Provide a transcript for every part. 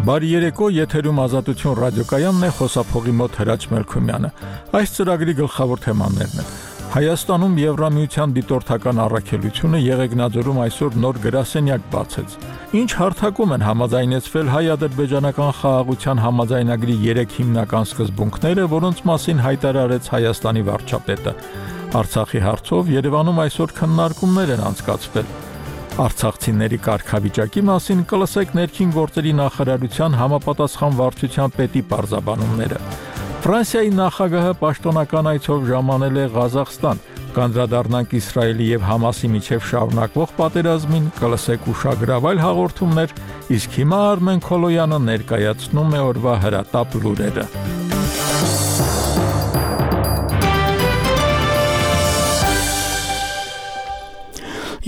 Բարի երեկո, եթերում Ազատություն ռադիոկայանն է, խոսափողի մոտ Հրաչ Մելքումյանը։ Այս ծրագրի գլխավոր թեմաներն են. Հայաստանում Եվրամիության դիտորդական առաքելությունը Եղեգնաձորում այսօր նոր գրասենյակ բացեց։ Ինչ հարթակում են համաձայնեցվել հայ-ադրբեջանական խաղաղության համաձայնագրի 3 հիմնական սկզբունքները, որոնց մասին հայտարարեց Հայաստանի վարչապետը։ Արցախի հարցով Երևանում այսօր քննարկումներ են անցկացվել։ Արցախցիների կարգավիճակի մասին կլսեք ներքին գործերի նախարարության համապատասխան վարչության պետի պարզաբանումները։ Ֆրանսիայի նախագահը պաշտոնական այցով ժամանել է Ղազախստան, կանդրադառնանք Իսրայելի եւ Համասի միջև շարունակվող պատերազմին, կլսեք ուշագրավ այլ հաղորդումներ, իսկ հիմա Արմեն Քոլոյանը ներկայացնում է օրվա հրատապ լուրերը։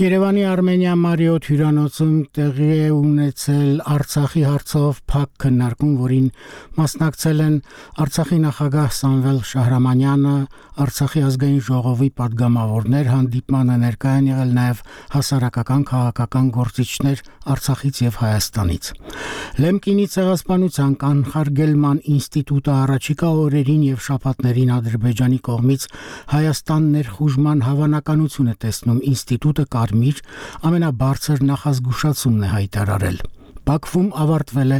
Երևանի Արմենիա Մարիոթ հյուրանոցում տեղի է ունեցել Արցախի հարցով փակ քննարկում, որին մասնակցել են Արցախի նախագահ Սամվել Շահրամանյանը, Արցախի ազգային ժողովի падգամավորներ, հանդիպմանը ներկայ են եղել նաև հասարակական քաղաքական գործիչներ Արցախից եւ Հայաստանից։ Լեմկինի ցեղասպանության կանխարգելման ինստիտուտը առաջիկա օրերին եւ շաբաթներին Ադրբեջանի կողմից Հայաստան ներխուժման հավանականություն է տեսնում ինստիտուտը ամենաբարձր նախազգուշացումն է հայտարարել։ Բաքվում ավարտվել է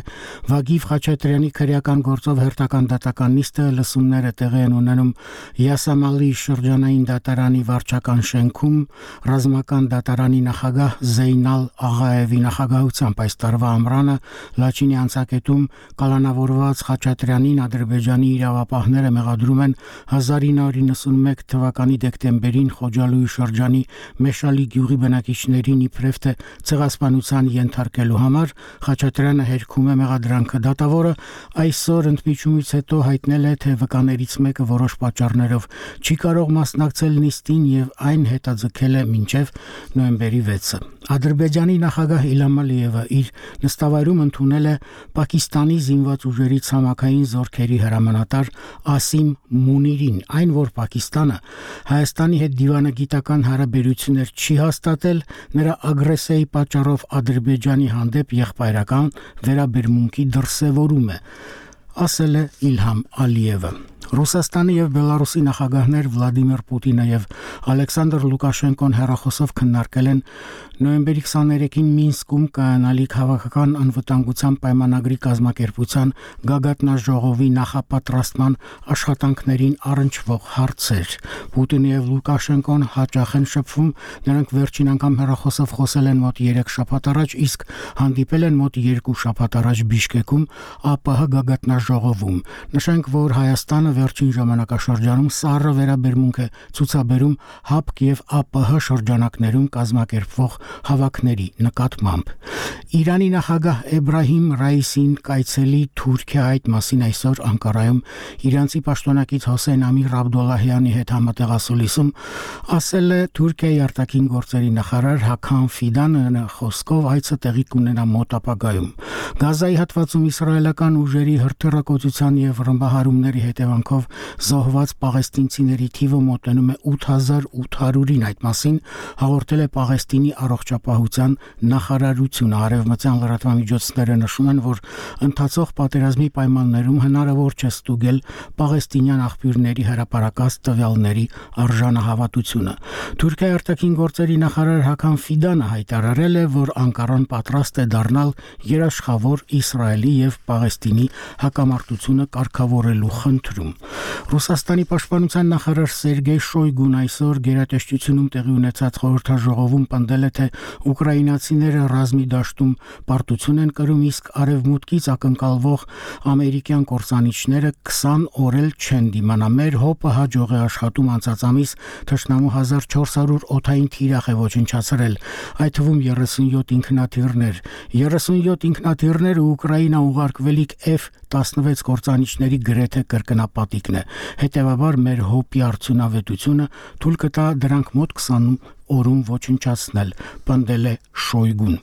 Վագիվ Խաչատրյանի քրեական գործով հերթական դատական նիստը, լսումները տեղի են ունենում Յասամալի շրջանային դատարանի վարչական շենքում, ռազմական դատարանի նախագահ Զեյնալ Աղաևի նախագահությամբ այս տարվա ամռանը Լաչինի անցակետում կալանավորված Խաչատրյանին Ադրբեջանի իրավապահները մեղադրում են 1991 թվականի դեկտեմբերին Խոջալույի շրջանի Մեշալի գյուղի բնակիչներին իբրև թե ցեղասպանության ենթարկելու համար Խաչատրյանը հերքում է մեղադրանքը։ Դատավորը այսօր ընդմիջումից հետո հայտնել է, թե վկաներից մեկը որոշ պատճառներով չի կարող մասնակցել նիստին եւ այն հետաձգել է մինչեւ նոյեմբերի 6-ը։ Ադրբեջանի նախագահ Իլհամ Ալիևը իր նստավայրում ընդունել է Պակիստանի զինված ուժերի ցամաքային զորքերի հրամանատար Ասիմ Մունիրին, այն որ Պակիստանը Հայաստանի հետ դիվանագիտական հարաբերություններ չի հաստատել, նրա ագրեսիայի պատճառով Ադրբեջանի հանդեպ եղբայրական վերաբերմունքի դրսևորում է, ասել է Իլհամ Ալիևը։ Ռուսաստանի եւ Բելարուսի նախագահներ Վլադիմիր Պուտինը եւ Ալեքսանդր Լուկաշենկոն հեռախոսով քննարկել են նոյեմբերի 23-ին Մինսկում կայանալի քաղաքական անվտանգության պայմանագրի կազմակերպության գագաթնաժողովի նախապատրաստման աշխատանքներին առնչվող հարցեր։ Պուտինը եւ Լուկաշենկոն հաճախ են շփվում, նրանք վերջին անգամ հեռախոսով խոսել են մոտ 3 շաբաթ առաջ, իսկ հանդիպել են մոտ 2 շաբաթ առաջ Բիշկեկում ԱՊՀ գագաթնաժողովում։ Նշենք, որ Հայաստանը վերջին ժամանակաշրջանում սառը վերաբերմունք է ցուցաբերում ՀԱՊԿ եւ ԱՊՀ շրջանակներում կազմակերպվող հավաքների նկատմամբ։ Իրանի նախագահ Էբրահիմ Ռայիսին կայցելի Թուրքիա, այդ մասին այսօր Անկարայում իրանցի պաշտոնակից Հոսեյն Ամիր Աբդոլլահյանի հետ համատեղասուլիսում ասել է Թուրքիայի արտաքին գործերի նախարար Հաքան Ֆիդանը խոսքով այցը տեղի կունենա մոտ ապագայում։ Գազայի հատվածում իսրայելական ուժերի հրթիռակոծության եւ ռմբահարումների հետևանքով զոհված պաղեստինցիների թիվը մոտենում է 8800-ին, այդ մասին հաղորդել է Պաղեստինի առողջապահության նախարարությունը։ Արևմտյան լրատվամիջոցները նշում են, որ ընթացող պատերազմի պայմաններում հնարավոր չէ ստուգել պաղեստինյան աղբյուրների հրապարակած տվյալների արժանահավատությունը։ Թուրքիայի արտաքին գործերի նախարար Հաքան Ֆիդանը հայտարարել է, որ Անկարան պատրաստ է դառնալ երաշխավոր Իսրայելի եւ Պաղեստինի հակամարտությունը կարգավորելու խնդրում։ Ռուսաստանի պաշտպանության նախարար Սերգեյ Շոյգուն այսօր գերատեսչությունում տեղի ունեցած խորհրդաժողովում պնդել է, թե ուկրաինացիները ռազմի դաշտում պարտություն են կրում, իսկ արևմուտքից ակնկալվող ամերիկյան կործանիչները 20 օր էլ չեն դիմանա։ Մեր հոպը հաջող է աշխատում, անցած ամիս թշնամու 1400 օդային թիրախ է ոչնչացրել, այդ թվում 37 ինքնաթիռներ։ 37 ինքնաթիռները Ուկրաինա ուղարկվելիք F-16 կործանիչների գրեթե կրկնապատիկն է։ Հետևաբար մեր հոպի արդյունավետությունը թույլ կտա դրանք մոտ 20 օրում ոչնչացնել, պնդել է Շոյգուն։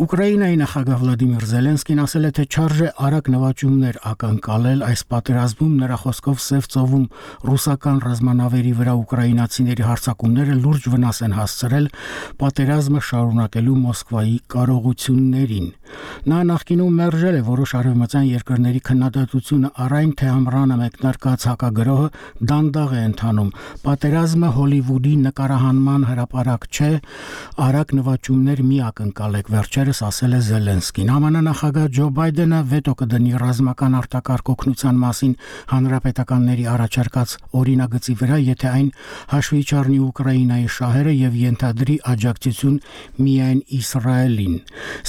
Ուկրաինայի նախագահ Վլադիմիր Զելենսկին ասել է, թե չարժե արագ նվաճումներ ակնկալել այս պատերազմում, նրա խոսքով Սև ծովում ռուսական ռազմանավերի վրա ուկրաինացիների հարձակումները լուրջ վնաս են հասցրել պատերազմը շարունակելու Մոսկվայի կարողություններին։ Նա նախկինում մերժել է որոշ արևմտյան երկրների քննադատությունը առ այն, թե ամռանը մեկնարկած հակագրոհը դանդաղ է ընթանում։ Պատերազմը Հոլիվուդի նկարահանման հրապարակ չէ, արագ նվաճումներ մի ակնկալեք, վերջերս ասել է Զելենսկին։ ԱՄՆ նախագահ Ջո Բայդենը վետո կդնի ռազմական արտակարգ օգնության մասին հանրապետականների առաջարկած օրինագծի վրա, եթե այն հաշվի չառնի Ուկրաինայի շահերը եւ ենթադրի աջակցություն միայն Իսրայելին։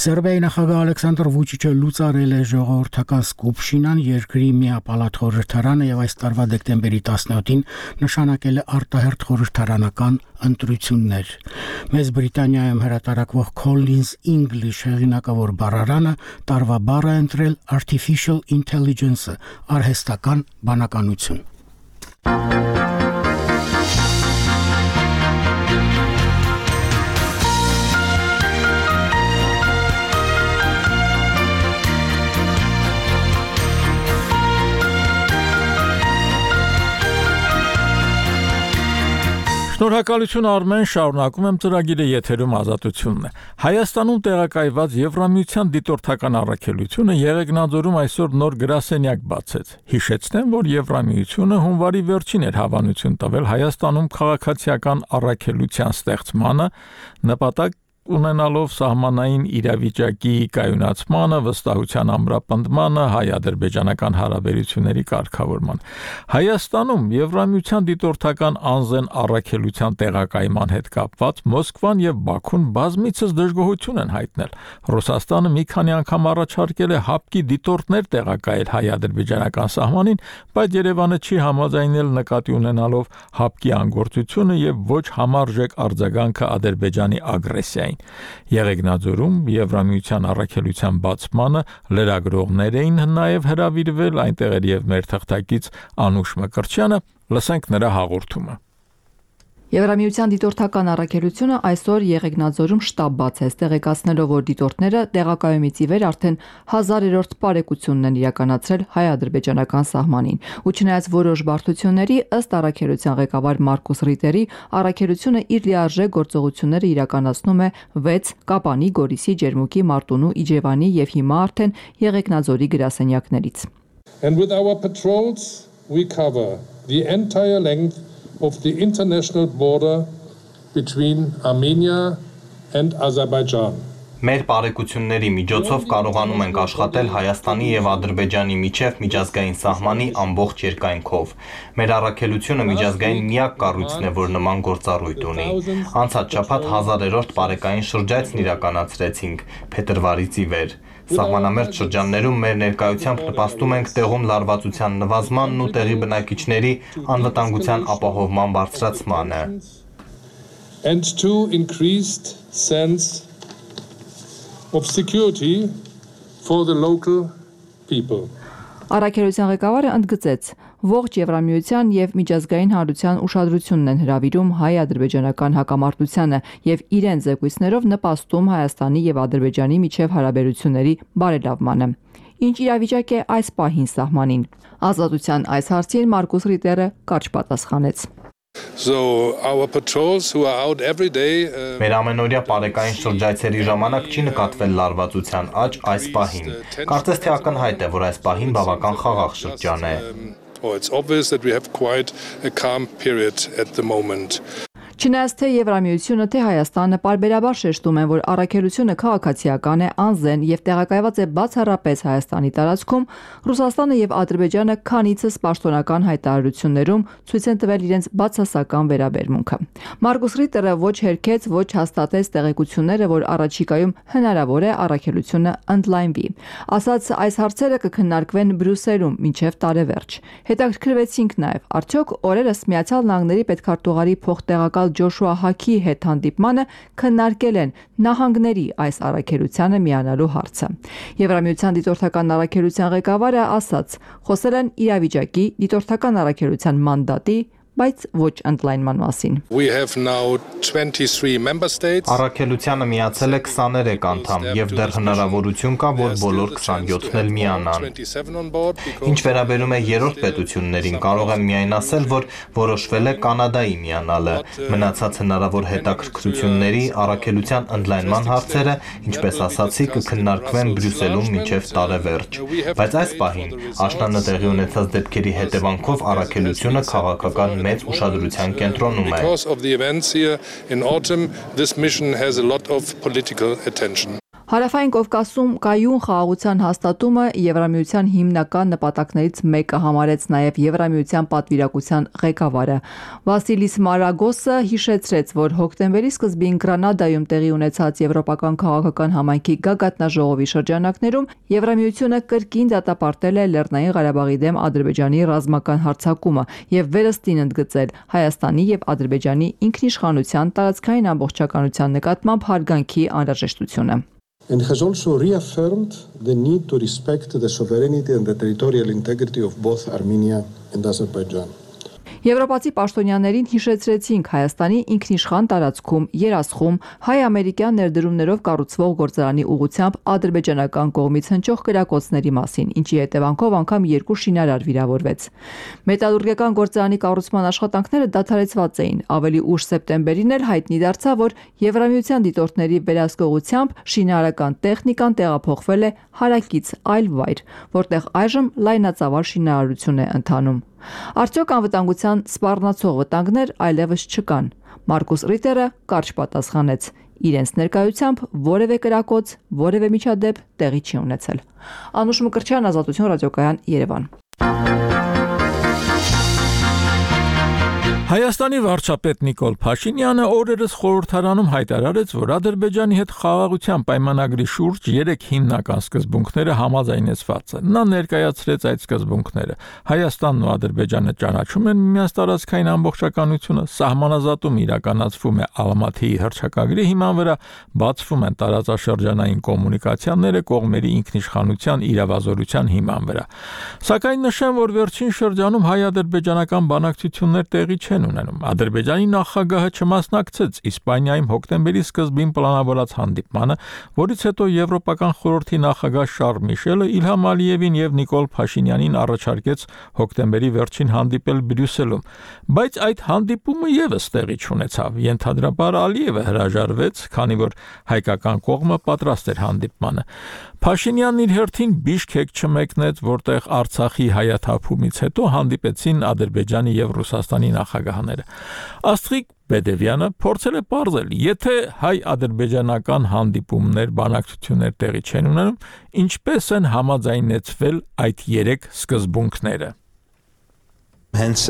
Սերբիայի նախագահ Ալեքսանդր Վուչիչը լուծարել է ժողովրդական սկուպշինան, երկրի միապալատ խորհրդարանը եւ այս տարվա դեկտեմբերի 17-ին նշանակել է արտահերթ խորհրդարանական ընտրություններ։ Մեծ Բրիտանիայում հրատարակվող Collins English հեղինակավոր բառարանը տարվա բառ է ընտրել Artificial Intelligence-ը, արհեստական բանականություն։ Շնորհակալություն Արմեն, շարունակում եմ ծրագիրը, եթերում Ազատությունն է։ Հայաստանում տեղակայված Եվրամիության դիտորդական առաքելությունը Եղեգնաձորում այսօր նոր գրասենյակ բացեց։ Հիշեցնեմ, որ Եվրամիությունը հունվարի վերջին էր հավանություն տվել Հայաստանում քաղաքացիական առաքելության ստեղծմանը, նպատակ ունենալով սահմանային իրավիճակի կայունացմանը, վստահության ամրապնդմանը, հայ-ադրբեջանական հարաբերությունների կարգավորման։ Հայաստանում Եվրամիության դիտորդական անձեն առաքելության տեղակայման հետ կապված Մոսկվան եւ Բաքուն բազմիցս դժգոհություն են հայտնել։ Ռուսաստանը մի քանի անգամ առաջարկել է հապկի դիտորդներ տեղակայել հայ-ադրբեջանական սահմանին, բայց Երևանը չի համաձայնել նկատի ունենալով հապկի անգործությունը եւ ոչ համարժեք արձագանքը Ադրբեջանի ագրեսիային։ Եղեգնաձորում Եվրամիության առաքելության բացմանը լրագրողներ էին նաև հրավիրվել, այնտեղ էր եւ մեր թղթակից Անուշ Մկրտչյանը, լսենք նրա հաղորդումը։ Եվրամիության դիտորդական առաքելությունը այսօր Եղեգնաձորում շտաբ բացեց, տեղեկացնելով, որ դիտորդները տեղակայումից ի վեր արդեն 1000-րդ պարեկությունն են իրականացրել հայ-ադրբեջանական սահմանին։ Ու չնայած որոշ բարդությունների, ըստ առաքելության ղեկավար Մարկուս Ռիտերի, առաքելությունը իր լիարժեք գործողությունները իրականացնում է 6 Կապանի, Գորիսի, Ջերմուկի, Մարտունու, Իջևանի եւ հիմա արդեն Եղեգնաձորի գրասենյակներից։ And with our patrols we cover the entire length of the international border between Armenia and Azerbaijan. Մեր բարեկությունների միջոցով կարողանում ենք աշխատել Հայաստանի եւ Ադրբեջանի միջև միջազգային սահմանի ամբողջ երկայնքով։ Մեր առաքելությունը միջազգային միակ կառույցն է, որ նման գործառույթ ունի։ Անցած շաբաթ 1000-րդ պարեկային շրջայցն իրականացրեցինք փետրվարից ի վեր։ Սահմանամերձ շրջաններում մեր ներկայությամբ նպաստում ենք տեղում լարվածության նվազմանն ու տեղի բնակիչների անվտանգության ապահովման բարձրացմանը։ And to increased sense of security for the local people. Առաքելության ղեկավարը ընդգծեց, ողջ Եվրամիության եւ միջազգային հանրության ուշադրությունն են հրավիրում հայ-ադրբեջանական հակամարտությանը եւ իրենց զեկույցներով նպաստում Հայաստանի եւ Ադրբեջանի միջև հարաբերությունների բարելավմանը։ Ինչ իրավիճակ է այս պահին սահմանին։ Ազատության այս հարցին Մարկուս Ռիտերը կարճ պատասխանեց։ So our patrols who are out every day Մեր ամենօրյա պարեկային շրջայցերի ժամանակ չի նկատվել լարվածության աճ այս պահին։ Կարծես թե ակնհայտ է, որ այս պահին բավական խաղաղ շրջան է։ It's obvious that we have quite a calm period at the moment. Չնայած թե Եվրամիությունը, թե Հայաստանը պարբերաբար շեշտում են, որ առաքելությունը քաղաքացիական է, անզեն եւ տեղակայված է բացառապես Հայաստանի տարածքում, Ռուսաստանը եւ Ադրբեջանը քանիցս պաշտոնական հայտարարություններում ցույց են տվել իրենց բացասական վերաբերմունքը։ Մարկուս Ռիտերը ոչ հերքեց, ոչ հաստատեց տեղեկությունները, որ առաջիկայում հնարավոր է առաքելությունը ընդլայնվի։ Ասաց, այս հարցերը կքննարկվեն Բրյուսելում մինչև տարեվերջ։ Հետաքրքրվեցինք նաեւ, արդյոք օրերս Միացյալ Նահանգների պետքարտուղարի փոխտեղակալ Ջոշուա Հաքի հետ հանդիպմանը քննարկել են նահանգների այս առաքելությանը միանալու հարցը։ Եվրամիության դիտորդական առաքելության ղեկավարը ասաց, խոսել են իրավիճակի, դիտորդական առաքելության մանդատի, բայց ոչ ընդլայնման մասին։ We have now 23 member states. Առաքելությանը միացել է 23 անդամ եւ դեռ հնարավորություն կա, որ բոլոր 27-ն էլ միանան։ Ինչ վերաբերում է երրորդ պետություններին, կարող եմ միայն ասել, որ որոշվել է Կանադայի միանալը։ Մնացած հնարավոր հետաքրքրությունների առաքելության ընդլայնման հարցերը, ինչպես ասացի, կքննարկվեն Բրյուսելում մինչև տարեվերջ։ Բայց այս պահին աշնանը տեղի ունեցած դեպքերի հետևանքով առաքելությունը քաղաքական մեծ ուշադրության կենտրոնում է։ Because of the events here in autumn, this mission has a lot of political attention. Հարավային Կովկասում կայուն խաղաղության հաստատումը Եվրամիության հիմնական նպատակներից մեկը համարեց նաև Եվրամիության պատվիրակության ղեկավարը։ Վասիլիս Մարագոսը հիշեցրեց, որ հոկտեմբերի սկզբին Գրանադայում տեղի ունեցած Եվրոպական քաղաքական համայնքի գագաթնաժողովի շրջանակներում Եվրամիությունը կրկին դատապարտել է Լեռնային Ղարաբաղի դեմ Ադրբեջանի ռազմական հարձակումը եւ վերստին ընդգծել Հայաստանի եւ Ադրբեջանի ինքնիշխանության տարածքային ամբողջականության նկատմամբ հարգանքի անհրաժեշտությունը։ And has also reaffirmed the need to respect the sovereignty and the territorial integrity of both Armenia and Azerbaijan. Եվրոպացի պաշտոնյաներին հիշեցրեցինք Հայաստանի ինքնիշխան տարածքում երասխում հայ-ամերիկյան ներդրումներով կառուցվող գործարանի ուղղությամբ ադրբեջանական կողմից հնչող կրակոցների մասին, ինչի հետևանքով անգամ 2 շինարար վիրավորվեց։ Մետալուրգիական գործարանի կառուցման աշխատանքները դադարեցված էին։ Ավելի ուշ սեպտեմբերին էլ հայտնի դարձավ, որ Եվրամիության դիտորդների վերահսկողությամբ շինարարական տեխնիկան տեղափոխվել է հարակից այլ վայր, որտեղ այժմ լայնածավալ շինարարություն է ընթանում։ Արդյոք անվտանգության սպառնացող վտանգներ այլևս չկան։ Մարկուս Ռիտերը կարճ պատասխանեց. իրենց ներկայությամբ որևէ կրակոց, որևէ միջադեպ տեղի չի ունեցել։ Անուշ Մկրտչյան, Ազատություն ռադիոկայան, Երևան։ Հայաստանի վարչապետ Նիկոլ Փաշինյանը օրերս խորհրդարանում հայտարարեց, որ Ադրբեջանի հետ խաղաղության պայմանագրի շուրջ 3 հիմնական սկզբունքները համաձայնեցված են։ Նա ներկայացրեց այդ սկզբունքները։ Հայաստանն ու Ադրբեջանը ճանաչում են միմյանց տարածքային ամբողջականությունը, սահմանազատում իրականացվում է Ալմաթիի հռչակագրի հիման վրա, բացվում են տարածաշրջանային կոմունիկացիաները կողմերի ինքնիշխանության իրավազորության հիման վրա։ Սակայն նշեմ, որ վերջին շրջանում հայ-ադրբեջանական բանակցություններ տեղի չեն ունենում։ Ադրբեջանի նախագահը չմասնակցեց Իսպանիայում հոկտեմբերի սկզբին պլանավորած հանդիպմանը, որից հետո Եվրոպական խորհրդի նախագահ Շարլ Միշելը Իլհամ Ալիևին եւ Նիկոլ Փաշինյանին առաջարկեց հոկտեմբերի վերջին հանդիպել Բրյուսելում, բայց այդ հանդիպումը եւս տեղի չունեցավ։ Ենթադրաբար Ալիևը հրաժարվեց, քանի որ հայկական կողմը պատրաստ էր հանդիպմանը։ Փաշինյանն իր հերթին Բիշքեկ չմեկնեց, որտեղ Արցախի հայաթափումից հետո հանդիպեցին Ադրբեջանի եւ Ռուսաստանի նախագահները։ Աստղիկ Բեդևյանը փորձել է պարզել, եթե հայ-ադրբեջանական հանդիպումներ, բանակցություններ տեղի չեն ունենում, ինչպես են համաձայնեցվել այդ 3 սկզբունքները։ Հենց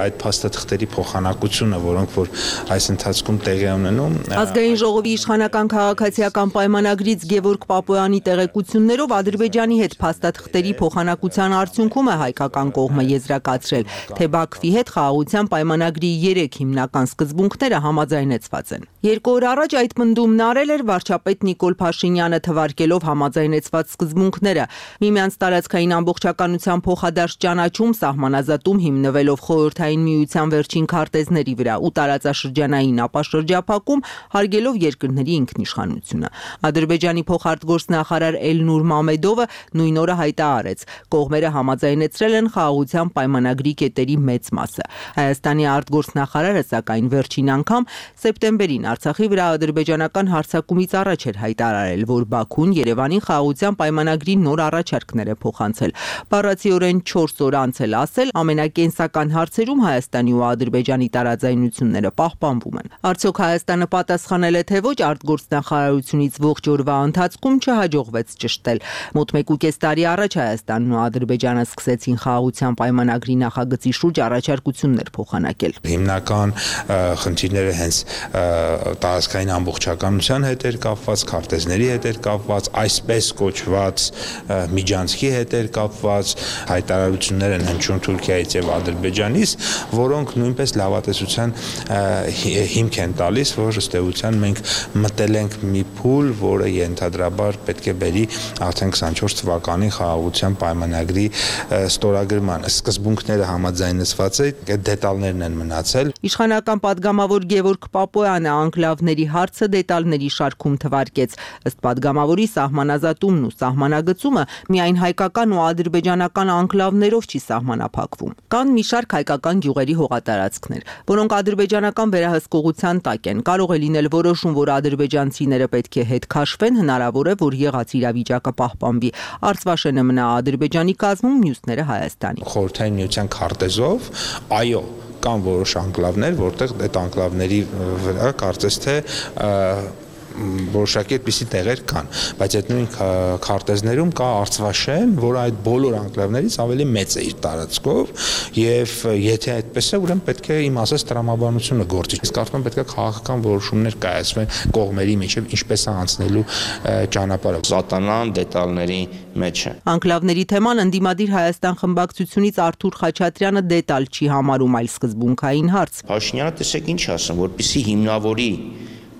այդ փաստաթղթերի փոխանակությունը, որոնք որ այս ընթացքում տեղի ունենում, Ազգային ժողովի իշխանական քաղաքացիական պայմանագրից Գևորգ Պապոյանի տեղեկություններով Ադրբեջանի հետ փաստաթղթերի փոխանակության արդյունքում է հայկական կողմը եզրակացրել, թե Բաքվի հետ խաղաղության պայմանագրի 3 հիմնական սկզբունքները համաձայնեցված են։ 2 օր առաջ այդ պնդումն արել էր վարչապետ Նիկոլ Փաշինյանը, թվարկելով համաձայնեցված սկզբունքները՝ միմյանց տարածքային ամբողջականության փոխադարձ ճանաչում, սահմանազատում հիմնվելով խորհրդային միության վերջին քարտեզների վրա ու տարածաշրջանային ապաշրջափակում, հարգելով երկրների ինքնիշխանությունը։ Ադրբեջանի փոխարտգործնախարար Էլնուր Մամեդովը նույն օրը հայտարարեց, կողմերը համաձայնեցրել են խաղաղության պայմանագրի կետերի մեծ մասը։ Հայաստանի արտգործնախարարը սակայն վերջին անգամ սեպտեմբերին Արցախի վրա ադրբեջանական հարձակումից առաջ էր հայտարարել, որ Բաքուն Երևանին խաղաղության պայմանագրի նոր առաջարկներ է փոխանցել։ Բառացիորեն 4 օր անց էլ ասել, ամենակենսական հարցերում Հայաստանի ու Ադրբեջանի տարաձայնությունները պահպանվում են։ Արդյոք Հայաստանը պատասխանել է, թե ոչ, արտգործնախարարությունից ողջ օրվա ընթացքում չհաջողվեց ճշտել։ Մոտ 1.5 տարի առաջ Հայաստանն ու Ադրբեջանը սկսեցին խաղաղության պայմանագրի նախագծի շուրջ առաջարկություններ փոխանակել։ Հիմնական խնդիրները հենց տարածքային ամբողջականության հետ էր կապված, քարտեզների հետ էր կապված, այսպես կոչված միջանցքի հետ էր կապված, հայտարարություններ են հնչում Թուրքիայից եւ Ադրբեջանից, որոնք նույնպես լավատեսության հիմք են տալիս, որ ըստ էության մենք մտել ենք մի փուլ, որը ենթադրաբար պետք է բերի արդեն 24 թվականի խաղաղության պայմանագրի ստորագրման։ Սկզբունքները համաձայնեցված է, այդ դետալներն են մնացել։ Իշխանական պատգամավոր Գևորգ Պապոյանը անկլավների հարցը դետալների շարքում թվարկեց։ Ըստ պատգամավորի սահմանազատումն ու սահմանագծումը միայն հայկական ու ադրբեջանական անկլավներով չի սահմանափակվում։ Կան մի շարք հայկական գյուղերի հողատարածքներ, որոնք ադրբեջանական վերահսկողության տակ են։ Կարող է լինել որոշում, որ ադրբեջանցիները պետք է հետ քաշվեն, հնարավոր է, որ եղած իրավիճակը պահպանվի։ Արցվաշենը մնա Ադրբեջանի կազմում, մյուսները Հայաստանի։ Խորհրդային միության քարտեզով, այո, կան որոշ անկլավներ, որտեղ այդ անկլավների վրա կարծես թե որոշակի այդպիսի տեղեր կան, բայց այդ նույն քարտեզներում կա Արցվաշեն, որը այդ բոլոր անկլավներից ավելի մեծ է իր տարածքով, եւ եթե այդպես է, ուրեմն պետք է իմ ասած տրամաբանությունը գործի։ Իսկ արդյոք պետք է քաղաքական որոշումներ կայացվեն կողմերի միջև, ինչպես է անցնելու ճանապարհը։ Սատանան դետալների մեջ է։ Անկլավների թեման ընդդիմադիր Հայաստան խմբակցությունից Արթուր Խաչատրյանը դետալ չի համարում, այլ սկզբունքային հարց։ Փաշինյանը տեսեք ինչ ասում, որպեսզի հիմնավորի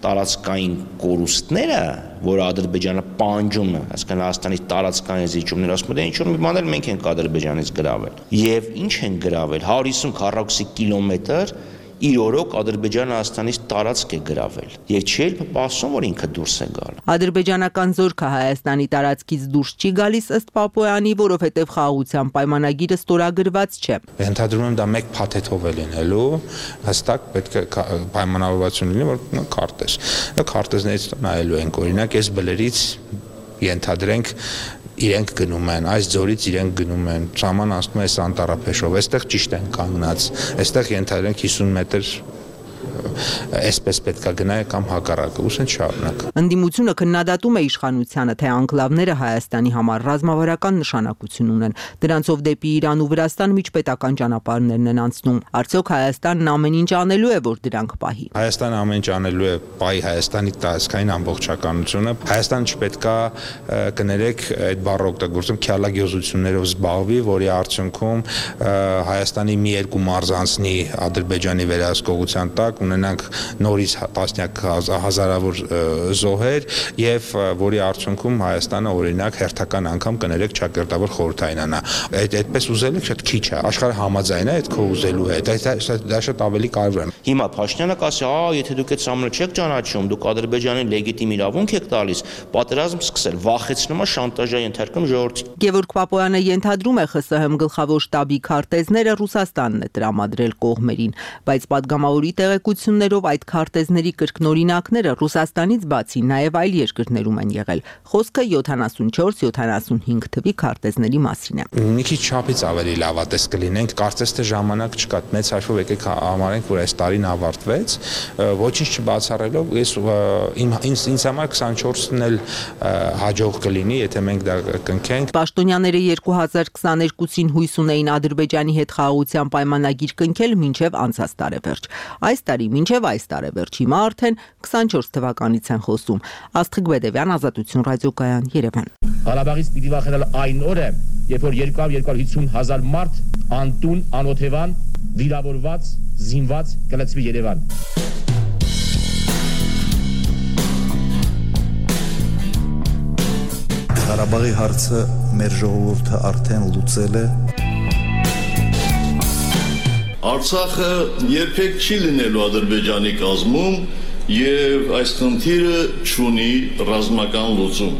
տարածքային կորուստները, որ Ադրբեջանը պանջում է, այսինքն Հայաստանի տարածքային զիջումներ, ասում են, ինչ-որ մի բաներ մենք ենք Ադրբեջանից գրավել։ Եվ ինչ են գրավել, 150 քառակուսի կիլոմետր իր օրոք Ադրբեջանը Հայաստանից տարածք է գրավել եւ չի էլ պասում, որ ինքը դուրս է գալ։ Ադրբեջանական զորքը Հայաստանի տարածքից դուրս չի գալիս ըստ Պապոյանի, որովհետեւ խաղաղության պայմանագիրը ստորագրված չէ։ Ենթադրում եմ դա մեկ փաթեթով է լինելու, հստակ պետք է պայմանավորվածություն լինի, որ քարտեզ։ Քարտեզներից նայելու ենք, օրինակ, այս բլերից ենթադրենք իրենք գնում են, այս ձորից իրենք գնում են, սահման անցնում է Սանտարափեշով, այստեղ ճիշտ են կանգնած, այստեղ ենթադրենք 50 մետր այսպես պետք է գնάει կամ հակառակը, ուսեն շարունակ։ Ընդդիմությունը քննադատում է իշխանությանը, թե անկլավները Հայաստանի համար ռազմավարական նշանակություն ունեն։ Դրանցով դեպի Իրան ու Վրաստան միջպետական ճանապարհներն են անցնում։ Արդյոք Հայաստանն ամեն ինչ անելու է, որ դրանք պահի։ Հայաստանը ամեն ինչ անելու է պահի Հայաստանի տարածքային ամբողջականությունը։ Հայաստանը չպետք է կներեք այդ բառը օգտագործում քյալագյոզություններով զբաղվի, որի արդյունքում Հայաստանի մի երկու մարզ անցնի Ադրբեջանի վերահսկողության տակ, ունենանք նորից տասնյակ հազարավոր զոհեր եւ որի արդյունքում Հայաստանը օրինակ հերթական անգամ կներեք ճակերտավոր խորհրդայինանա։ Այդպես ուզելը շատ քիչ է։ Աշխարհը համաձայն է այդ քո ուզելու հետ։ Դա շատ ավելի կարևոր է։ Հիմա Փաշինյանը կասի, եթե դուք այդ սամը չեք ճանաչում, դուք Ադրբեջանին լեգիտիմ իրավունք եք տալիս, պատերազմ սկսել, վախեցնում է, շանտաժա ենթարկում ժողովրդին։ Գևորգ Պապոյանը ենթադրում է ԽՍՀՄ գլխավոր շտաբի քարտեզները Ռուսաստանն է տրամադրել կողմերին, բայց պատգամավորի տեղեկություններով այդ քարտեզների կրկնօրինակները Ռուսաստանից բացի նաև այլ երկրներում են եղել։ Խոսքը 74-75 թվի քարտեզների մասին է։ Մի քիչ չափից ավելի լավատես կլինենք, կարծես թե ժամանակ չկա, մեծ հաշվով եկեք համարենք, որ այս տարին ավարտվեց, ոչինչ չբացառելով, ինձ համար 24-ն էլ հաջող կլինի, եթե մենք դա կնքենք։ Պաշտոնյաները 2022-ին հույս ունեին Ադրբեջանի հետ խաղաղության պայմանագիր կնքել մինչև անցած տարեվերջ։ Այս տարի մինչև այս տարեվերջ, հիմա արդեն 24 թվականից են խոսում։ Աստղիկ Բեդևյան, Ազատություն ռադիոկայան, Երևան։ Ղարաբաղից պիտի վախենալ այն օրը, երբ որ 200-250 հազար մարդ անտուն, անօթևան, վիրավորված, զինված կլցվի Երևան։ Ղարաբաղի հարցը մեր ժողովուրդը արդեն լուծել է։ Արցախը երբեք չի լինելու Ադրբեջանի կազմում եւ այս խնդիրը չունի ռազմական լուծում։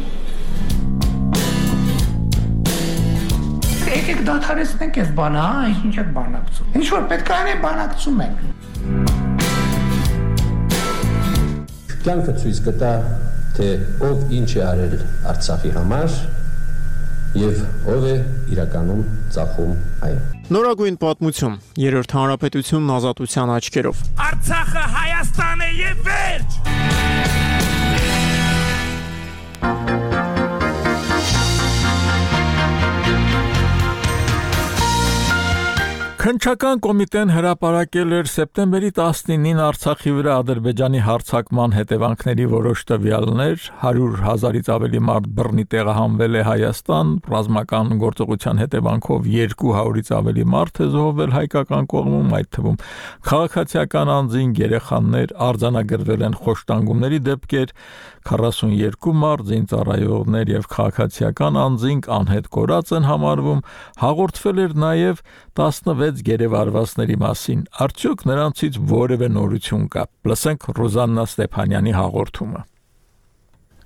Եկեք դադարեցնենք այս բանը, ինչ եք բանակցում։ Ինչ որ պետք է անենք, բանակցում ենք։ Կյանքը ցույց կտա, թե ով ինչ է արել Արցախի համար եւ ով է իրականում ծախում այն։ Նորագույն պատմություն, Երրորդ հանրապետությունն ազատության աչքերով։ Արցախը Հայաստան է եւ վերջ։ Քննչական կոմիտեն հրապարակել էր սեպտեմբերի 19-ին Արցախի վրա Ադրբեջանի հարձակման հետևանքների որոշ տվյալներ, 100,000-ից ավելի մարդ բռնի տեղահանվել է Հայաստան, ռազմական գործողության հետևանքով 200-ից ավելի մարդ է զոհվել հայկական կողմում, այդ թվում քաղաքացիական անձինք, երեխաներ, արձանագրվել են խոշտանգումների դեպքեր, 42 մարդ, զինծառայողներ եւ քաղաքացիական անձինք անհետ կորած են համարվում, հաղորդվել էր նաեւ 16 գերեվարվածների մասին, արդյոք նրանցից որևէ նորություն կա։ Լսենք Ռուզաննա Ստեփանյանի հաղորդումը։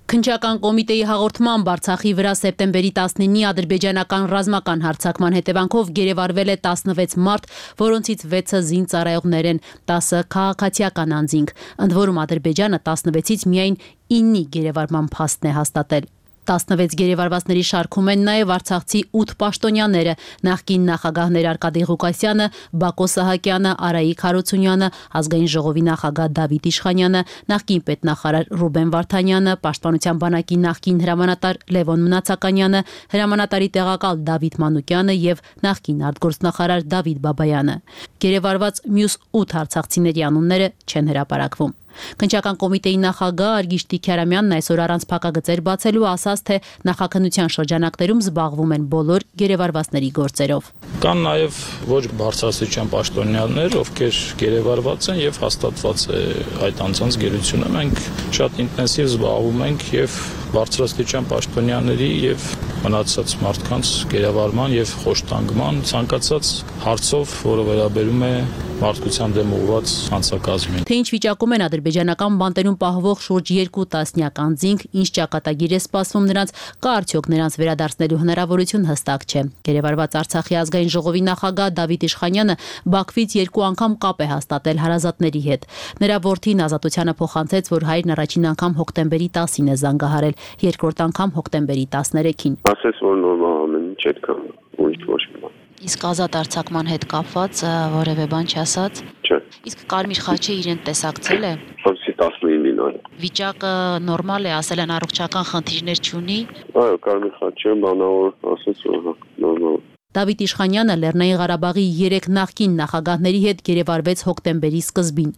Քննչական կոմիտեի հաղորդմամբ Արցախի վրա սեպտեմբերի 19-ի ադրբեջանական ռազմական հարձակման հետևանքով գերեվարվել է 16 մարդ, որոնցից 6-ը զինծառայողներ են, 10-ը քաղաքացիական անձինք, ընդ որում Ադրբեջանը 16-ից միայն 9-ի գերեվարման փաստն է հաստատել։ 16 գերեվարվածների շարքում են նաև արցախցի 8 պաշտոնյաները, նախկին նախագահներ Արկադի Ղուկասյանը, Բակո Սահակյանը, Արայիկ Հարությունյանը, ազգային ժողովի նախագահ Դավիթ Իշխանյանը, նախկին պետնախարար Ռուբեն Վարդանյանը, պաշտպանության բանակի նախկին հրամանատար Լևոն Մնացականյանը, հրամանատարի տեղակալ Դավիթ Մանուկյանը եւ նախկին արտգործնախարար Դավիթ Բաբայանը։ Գերեվարված մյուս 8 արցախցիների անունները չեն հրապարակվում։ Քննչական կոմիտեի նախագահ Արգիշտի Քյարամյանն այսօր առանց փակագծեր բացելու ասաց, թե նախաքննության շրջանակներում զբաղվում են բոլոր գերեվարվածների գործերով։ Կան նաև ոչ բարձրաստիճան պաշտոնյաներ, ովքեր գերեվարված են եւ հաստատված է այդ անձանց գերությունը։ Մենք շատ ինտենսիվ զբաղվում ենք եւ բարձրաստիճան պաշտոնյաների եւ մնացած մարդկանց գերեվարման եւ խոշտանգման ցանկացած հարցով, որը վերաբերում է մարդկության դեմ ուղղված հանցակազմին։ Թե ինչ վիճակում են ադրբեջանական բանտերում պահվող շուրջ 2 տասնյակ անձինք, ինչ ճակատագիր է սպասվում նրանց, կա արդյոք նրանց վերադարձնելու հնարավորություն հստակ չէ։ Գերեվարված Արցախի ազգային ժողովի նախագահ Դավիթ Իշխանյանը Բաքվից 2 անգամ կապ է հաստատել հարազատների հետ։ Նրա որդին Ազատությանը փոխանցեց, որ հայրն առաջին անգամ հոկտեմբերի 10-ին է զանգահարել, երկրորդ անգամ հոկտեմբերի 13-ին։ Ասես որ նորմալ ամեն ինչ այդքան ուրիշ ոչ մի բան։ Իսկ ազատ արձակման հետ կապված որևէ բան չասած։ Չէ։ Իսկ Կարմիր խաչը իրեն տեսակցել է։ Հոկտեմբերի 19-ին այո։ Վիճակը նորմալ է, ասել են առողջական խնդիրներ չունի։ Այո, Կարմիր խաչը բանավոր ասաց որ նորմալ։ Դավիթ Իշխանյանը Լեռնային Ղարաբաղի 3 նախկին նախագահների հետ գերեվարվեց հոկտեմբերի սկզբին։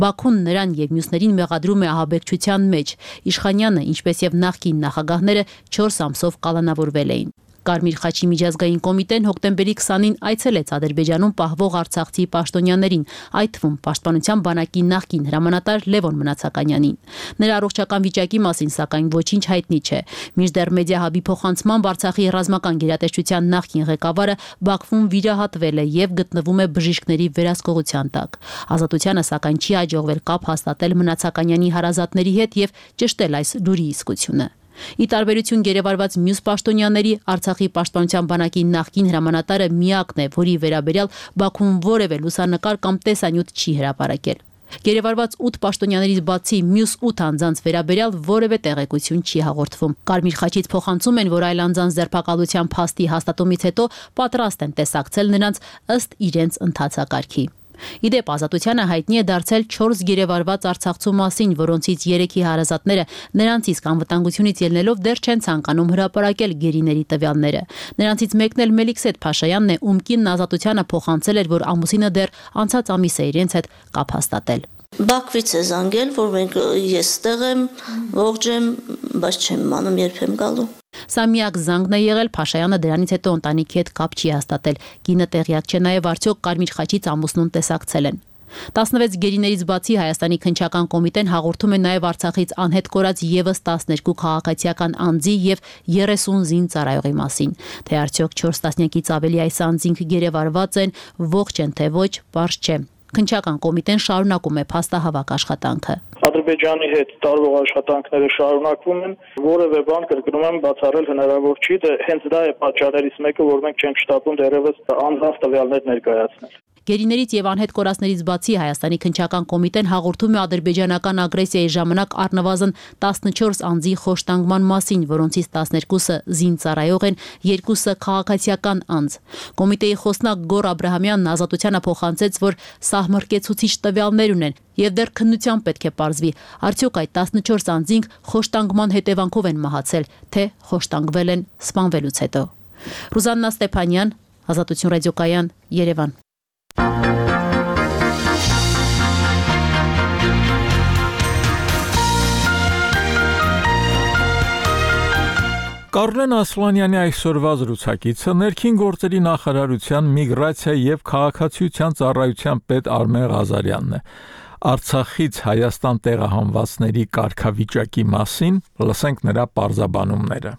Բաքուն նրան եւ մյուսներին մեղադրում է ահաբեկչության մեջ։ Իշխանյանը, ինչպես եւ նախկին նախագահները 4 ամսով կալանավորվել էին։ Կարմիր խաչի միջազգային կոմիտեն հոկտեմբերի 20-ին այցելեց Ադրբեջանում պահվող արցախցի պաշտոնյաներին, այդ թվում պաշտպանության բանակի նախկին հրամանատար Լևոն Մնացականյանին։ Նրա առողջական վիճակի մասին սակայն ոչինչ հայտնի չէ։ Մինչդեռ մեդիահաբի փոխանցմամբ Արցախի ռազմական գերատեսչության նախկին ղեկավարը Բաքվում վիրահատվել է եւ գտնվում է բժիշկների վերահսկողության տակ։ Ազատությանը սակայն չի հաջողվել կապ հաստատել Մնացականյանի հարազատների հետ եւ ճշտել այս լուրի իսկությունը։ Ի տարբերություն գերեվարված մյուս պաշտոնյաների, Արցախի պաշտպանության բանակի նախկին հրամանատարը միակն է, որի վերաբերյալ Բաքուն որևէ լուսանկար կամ տեսանյութ չի հրապարակել։ Գերեվարված 8 պաշտոնյաներից բացի մյուս 8 անձանց վերաբերյալ որևէ տեղեկություն չի հաղորդվում։ Կարմիր խաչից փոխանցում են, որ այլ անձանց ձերբակալության փաստի հաստատումից հետո պատրաստ են տեսակցել նրանց ըստ իրենց ընթացակարգի։ Իդեպ Ազատությանը հայտնի է դարձել 4 գերեվարված արցախցու մասին, որոնցից 3-ի հարազատները նրանց իսկ անվտանգությունից ելնելով դեռ չեն ցանկանում հրապարակել գերիների տվյալները։ Նրանցից մեկն էլ Մելիքսեթ Փաշայանն է, ում կինն Ազատությանը փոխանցել էր, որ ամուսինը դեռ անցած ամիս է իրենց հետ կապ հաստատել։ Բաքվից է զանգել, որ ես ստեղ եմ, ողջ եմ, բայց չեմ իմանում երբ եմ գալու։ Սա միակ զանգն է եղել, Փաշայանը դրանից հետո ընտանիքի հետ կապ չի հաստատել։ Կինը տեղյակ չէ նաև արդյոք Կարմիր խաչից ամուսնուն տեսակցել են։ 16 գերիներից բացի Հայաստանի քննչական կոմիտեն հաղորդում է նաև Արցախից անհետ կորած եւս 12 քաղաքացիական անձի եւ 30 զինծառայողի մասին։ Թե արդյոք 4 տասնյակից ավելի այս անձինք գերեվարված են, ողջ են թե ոչ, պարզ չէ։ Քննչական կոմիտեն շարունակում է փաստահավաք աշխատանքը։ Ադրբեջանի հետ տարվող աշխատանքները շարունակվում են, որևէ բան կրկնում եմ բացառել հնարավոր չի, հենց դա է պատճառներից մեկը, որ մենք չենք շտապում դեռևս անձանց տվյալներ ներկայացնել։ Գերիներից եւ անհետ կորածներից բացի Հայաստանի քննչական կոմիտեն հաղորդում է ադրբեջանական ագրեսիայի ժամանակ առնվազն 14 անձի խոշտանգման մասին, որոնցից 12-ը զինծառայող են, 2-ը քաղաքացիական անձ։ Կոմիտեի խոսնակ Գոր Աբրահամյանն Ազատությանը փոխանցեց, որ սահմռկեցուցիչ տվյալներ ունեն եւ դեռ քննությամբ պետք է պարզվի, արդյոք այդ 14 անձինք խոշտանգման հետևանքով են մահացել, թե խոշտանգվել են սպանվելուց հետո։ Ռուզաննա Ստեփանյան, Ազատություն ռադիոկայան, Երևան։ Կարլեն Ասլանյանի այսօրվա զրուցակիցը ներքին գործերի նախարարության միգրացիա եւ քաղաքացիության ծառայության պետ Արմեն Ղազարյանն է։ Արցախից Հայաստան տեղահանվածների կարգավիճակի մասին լսենք նրա պարզաբանումները։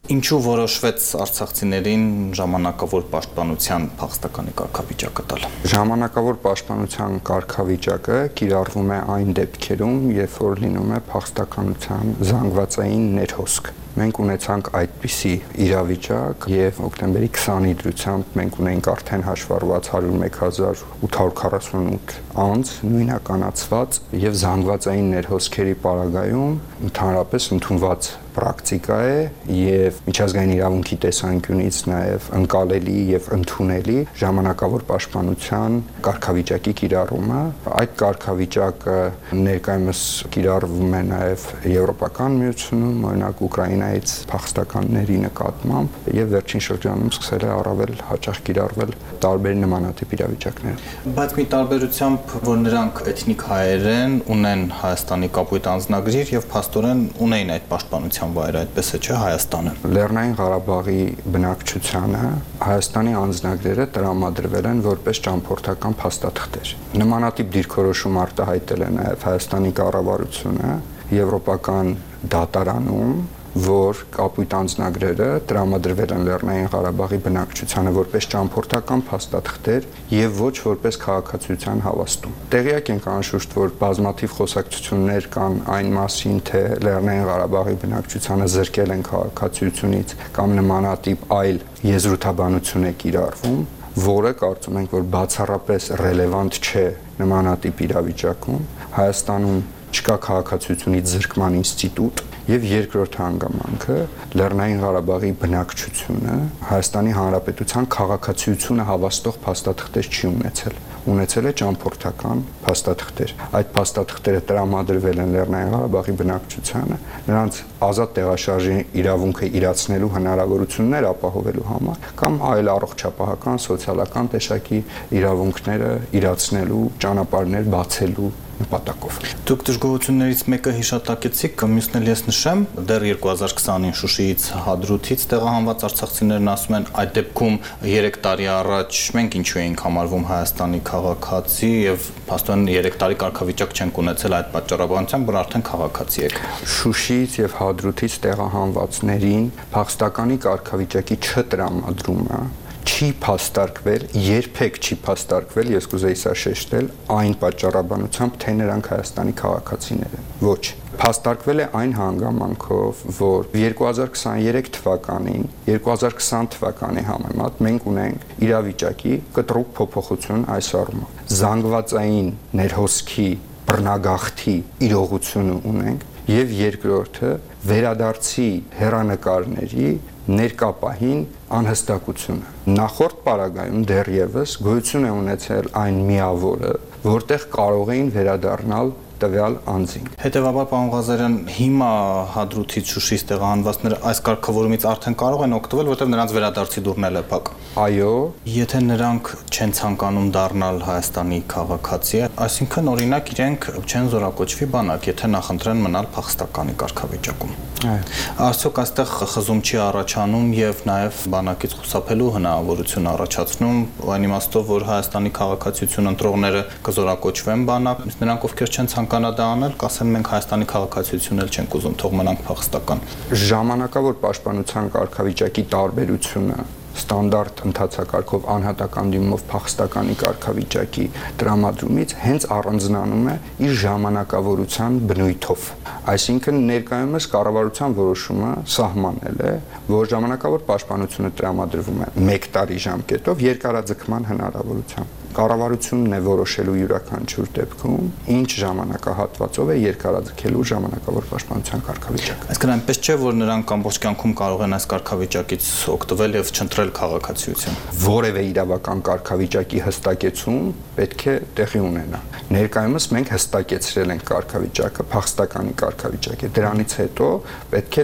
Ինչու որոշվեց արցախցիներին ժամանակավոր պաշտպանության փախստականի կարգավիճակը տալ։ Ժամանակավոր պաշտպանության կարգավիճակը կիրառվում է այն դեպքերում, երբ որ լինում է փախստականության զանգվածային ներհոսք։ Մենք ունեցանք այդպիսի իրավիճակ եւ հոկտեմբերի 20-ի դրությամբ մենք ունենք արդեն հաշվառված 101,848 անձ նույնականացված եւ զանգվածային ներհոսքերի պարագայում ընդհանրապես ընդունված պրակտիկա է եւ միջազգային իրավունքի տեսանկյունից նաեւ ընկալելի եւ ընդունելի ժամանակավոր պաշտպանության կարգավիճակի կիրառումը։ Այդ կարգավիճակը ներկայումս կիրառվում է նաեւ Եվրոպական միությունում, օրինակ Ուկրաինայից փախստականների նկատմամբ եւ վերջին շրջանում սկսել է առավել հաճախ կիրառվել տարբեր նմանատիպ իրավիճակներում։ Բայց մի տարբերությամբ, որ նրանք էթնիկ հայեր են, ունեն Հայաստանի կապույտ անձնագրեր եւ փաստորեն ունեն այդ պաշտպանության վայրը, այդպես է, չէ՞, Հայաստանը։ Լեռնային Ղարաբաղի բնակչությանը Հայաստանի անձնագրերը տրամադրվել են որպես ճամփորդական փաստաթղթեր։ Նմանատիպ դիրքորոշում արտահայտել է նաև Հայաստանի կառավարությունը Եվրոպական դատարանում, որ կապույտ անձնագրերը տրամադրվել են Լեռնային Ղարաբաղի բնակչությանը որպես ճամփորդական փաստաթղթեր եւ ոչ որպես քաղաքացիության հավաստում։ Տեղյակ ենք անշուշտ, որ բազմաթիվ խոսակցություններ կան այն մասին, թե Լեռնային Ղարաբաղի բնակչությանը զրկել են քաղաքացիությունից կամ նմանատիպ այլ եզրութաբանություն է կիրառվում, որը կարծում ենք, որ բացառապես ռելևանտ չէ նմանատիպ իրավիճակում։ Հայաստանում չկա քաղաքացիությունից զրկման ինստիտուտ եւ երկրորդ հանգամանքը Լեռնային Ղարաբաղի բնակչությունը Հայաստանի Հանրապետության քաղաքացիությունը հավաստող փաստաթղթեր չի ունեցել։ Ունեցել է ճամփորդական փաստաթղթեր։ Այդ փաստաթղթերը տրամադրվել են Լեռնային Ղարաբաղի բնակչությանը նրանց ազատ տեղաշարժի իրավունքը իրացնելու հնարավորություններ ապահովելու համար կամ այլ առողջապահական, սոցիալական տեսակի իրավունքները իրացնելու ճանապարհներ բացելու նպատակով։ Դուք դժգոհություններից մեկը հիշատակեցիք, մյուսն էլ ես նշեմ, դեռ 2020-ին Շուշիից Հադրութից տեղահանված արցախցիներն ասում են, այդ դեպքում 3 տարի առաջ մենք ինչու էինք համարվում Հայաստանի քաղաքացի եւ փաստորեն 3 տարի կարգավիճակ չենք ունեցել այդ պատճառաբանությամբ, որ արդեն քաղաքացի եք։ Շուշիից եւ Հադրութից տեղահանվածներին փախստականի կարգավիճակի չտրամադրումը չի փաստարկվել, երբեք չի փաստարկվել, ես կուզեի սա շեշտել, այն պատճառաբանությամբ, թե նրանք Հայաստանի քաղաքացիներ են։ Ոչ, փաստարկվել է այն հանգամանքով, որ 2023 թվականին, 2020 թվականի համեմատ մենք ունենք իրավիճակի կտրուկ փոփոխություն այս առումով։ Զանգվածային ներհոսքի բռնագաղթի իրողությունը ունենք եւ երկրորդը վերադարձի հեռանկարների ներկա պահին անհստակությունը։ Նախորդ պարագայում դեռևս գոյություն է ունեցել այն միավորը, որտեղ կարող էին վերադառնալ տվյալ անձին։ Հետևաբար, պարոն Ղազարյան, հիմա Հադրութից Շուշիից տեղահանվածները այս կարգավորումից արդեն կարող են օգտվել, որտեղ նրանց վերադարձի դուռն էլ է փակ։ Այո, եթե նրանք չեն ցանկանում դառնալ Հայաստանի քաղաքացի, այսինքն օրինակ իրենք չեն զորակոչվի բանակ, եթե նախընտրեն մնալ փախստականի կարգավիճակում։ Արդյոք այստեղ խզում չի առաջանում եւ նաեւ բանակից խուսափելու հնարավորություն առաջացնում, այն իմաստով, որ Հայաստանի քաղաքացիություն ընտրողները կզորակոչվեն բանակ, նրանք ովքեր չեն ցանկանա դա անել, կասեն մենք Հայաստանի քաղաքացիություն էլ չենք ուզում, թող մնանք փախստական։ Ժամանակավոր պաշտպանության կարգավիճակի տարբերությունը ստանդարտ ընթացակարգով անհատական դիմումով փախստականի կարգավիճակի տրամադրումից հենց առանձնանում է իր ժամանակավորության բնույթով։ Այսինքն ներկայումս կառավարության որոշումը սահմանել է, որ ժամանակավոր պաշտպանությունը տրամադրվում է 1 տարի ժամկետով երկարաձգման հնարավորությամբ։ Կառավարությունն է որոշելու յուրաքանչյուր դեպքում ինչ ժամանակահատվածով է երկարաձգելու ժամանակավոր պաշտպանության կարգավիճակը։ Այսինքն այնպես չէ, որ նրանք ամբողջ կյանքում կարող են այս կարգավիճակից օգտվել եւ չընտրել քաղաքացիություն։ Որևէ իրավական կարգավիճակի հստակեցում պետք է տեղի ունենա։ Ներկայումս մենք հստակեցրել ենք կարգավիճակը, փախստականի կարգավիճակ է։ Դրանից հետո պետք է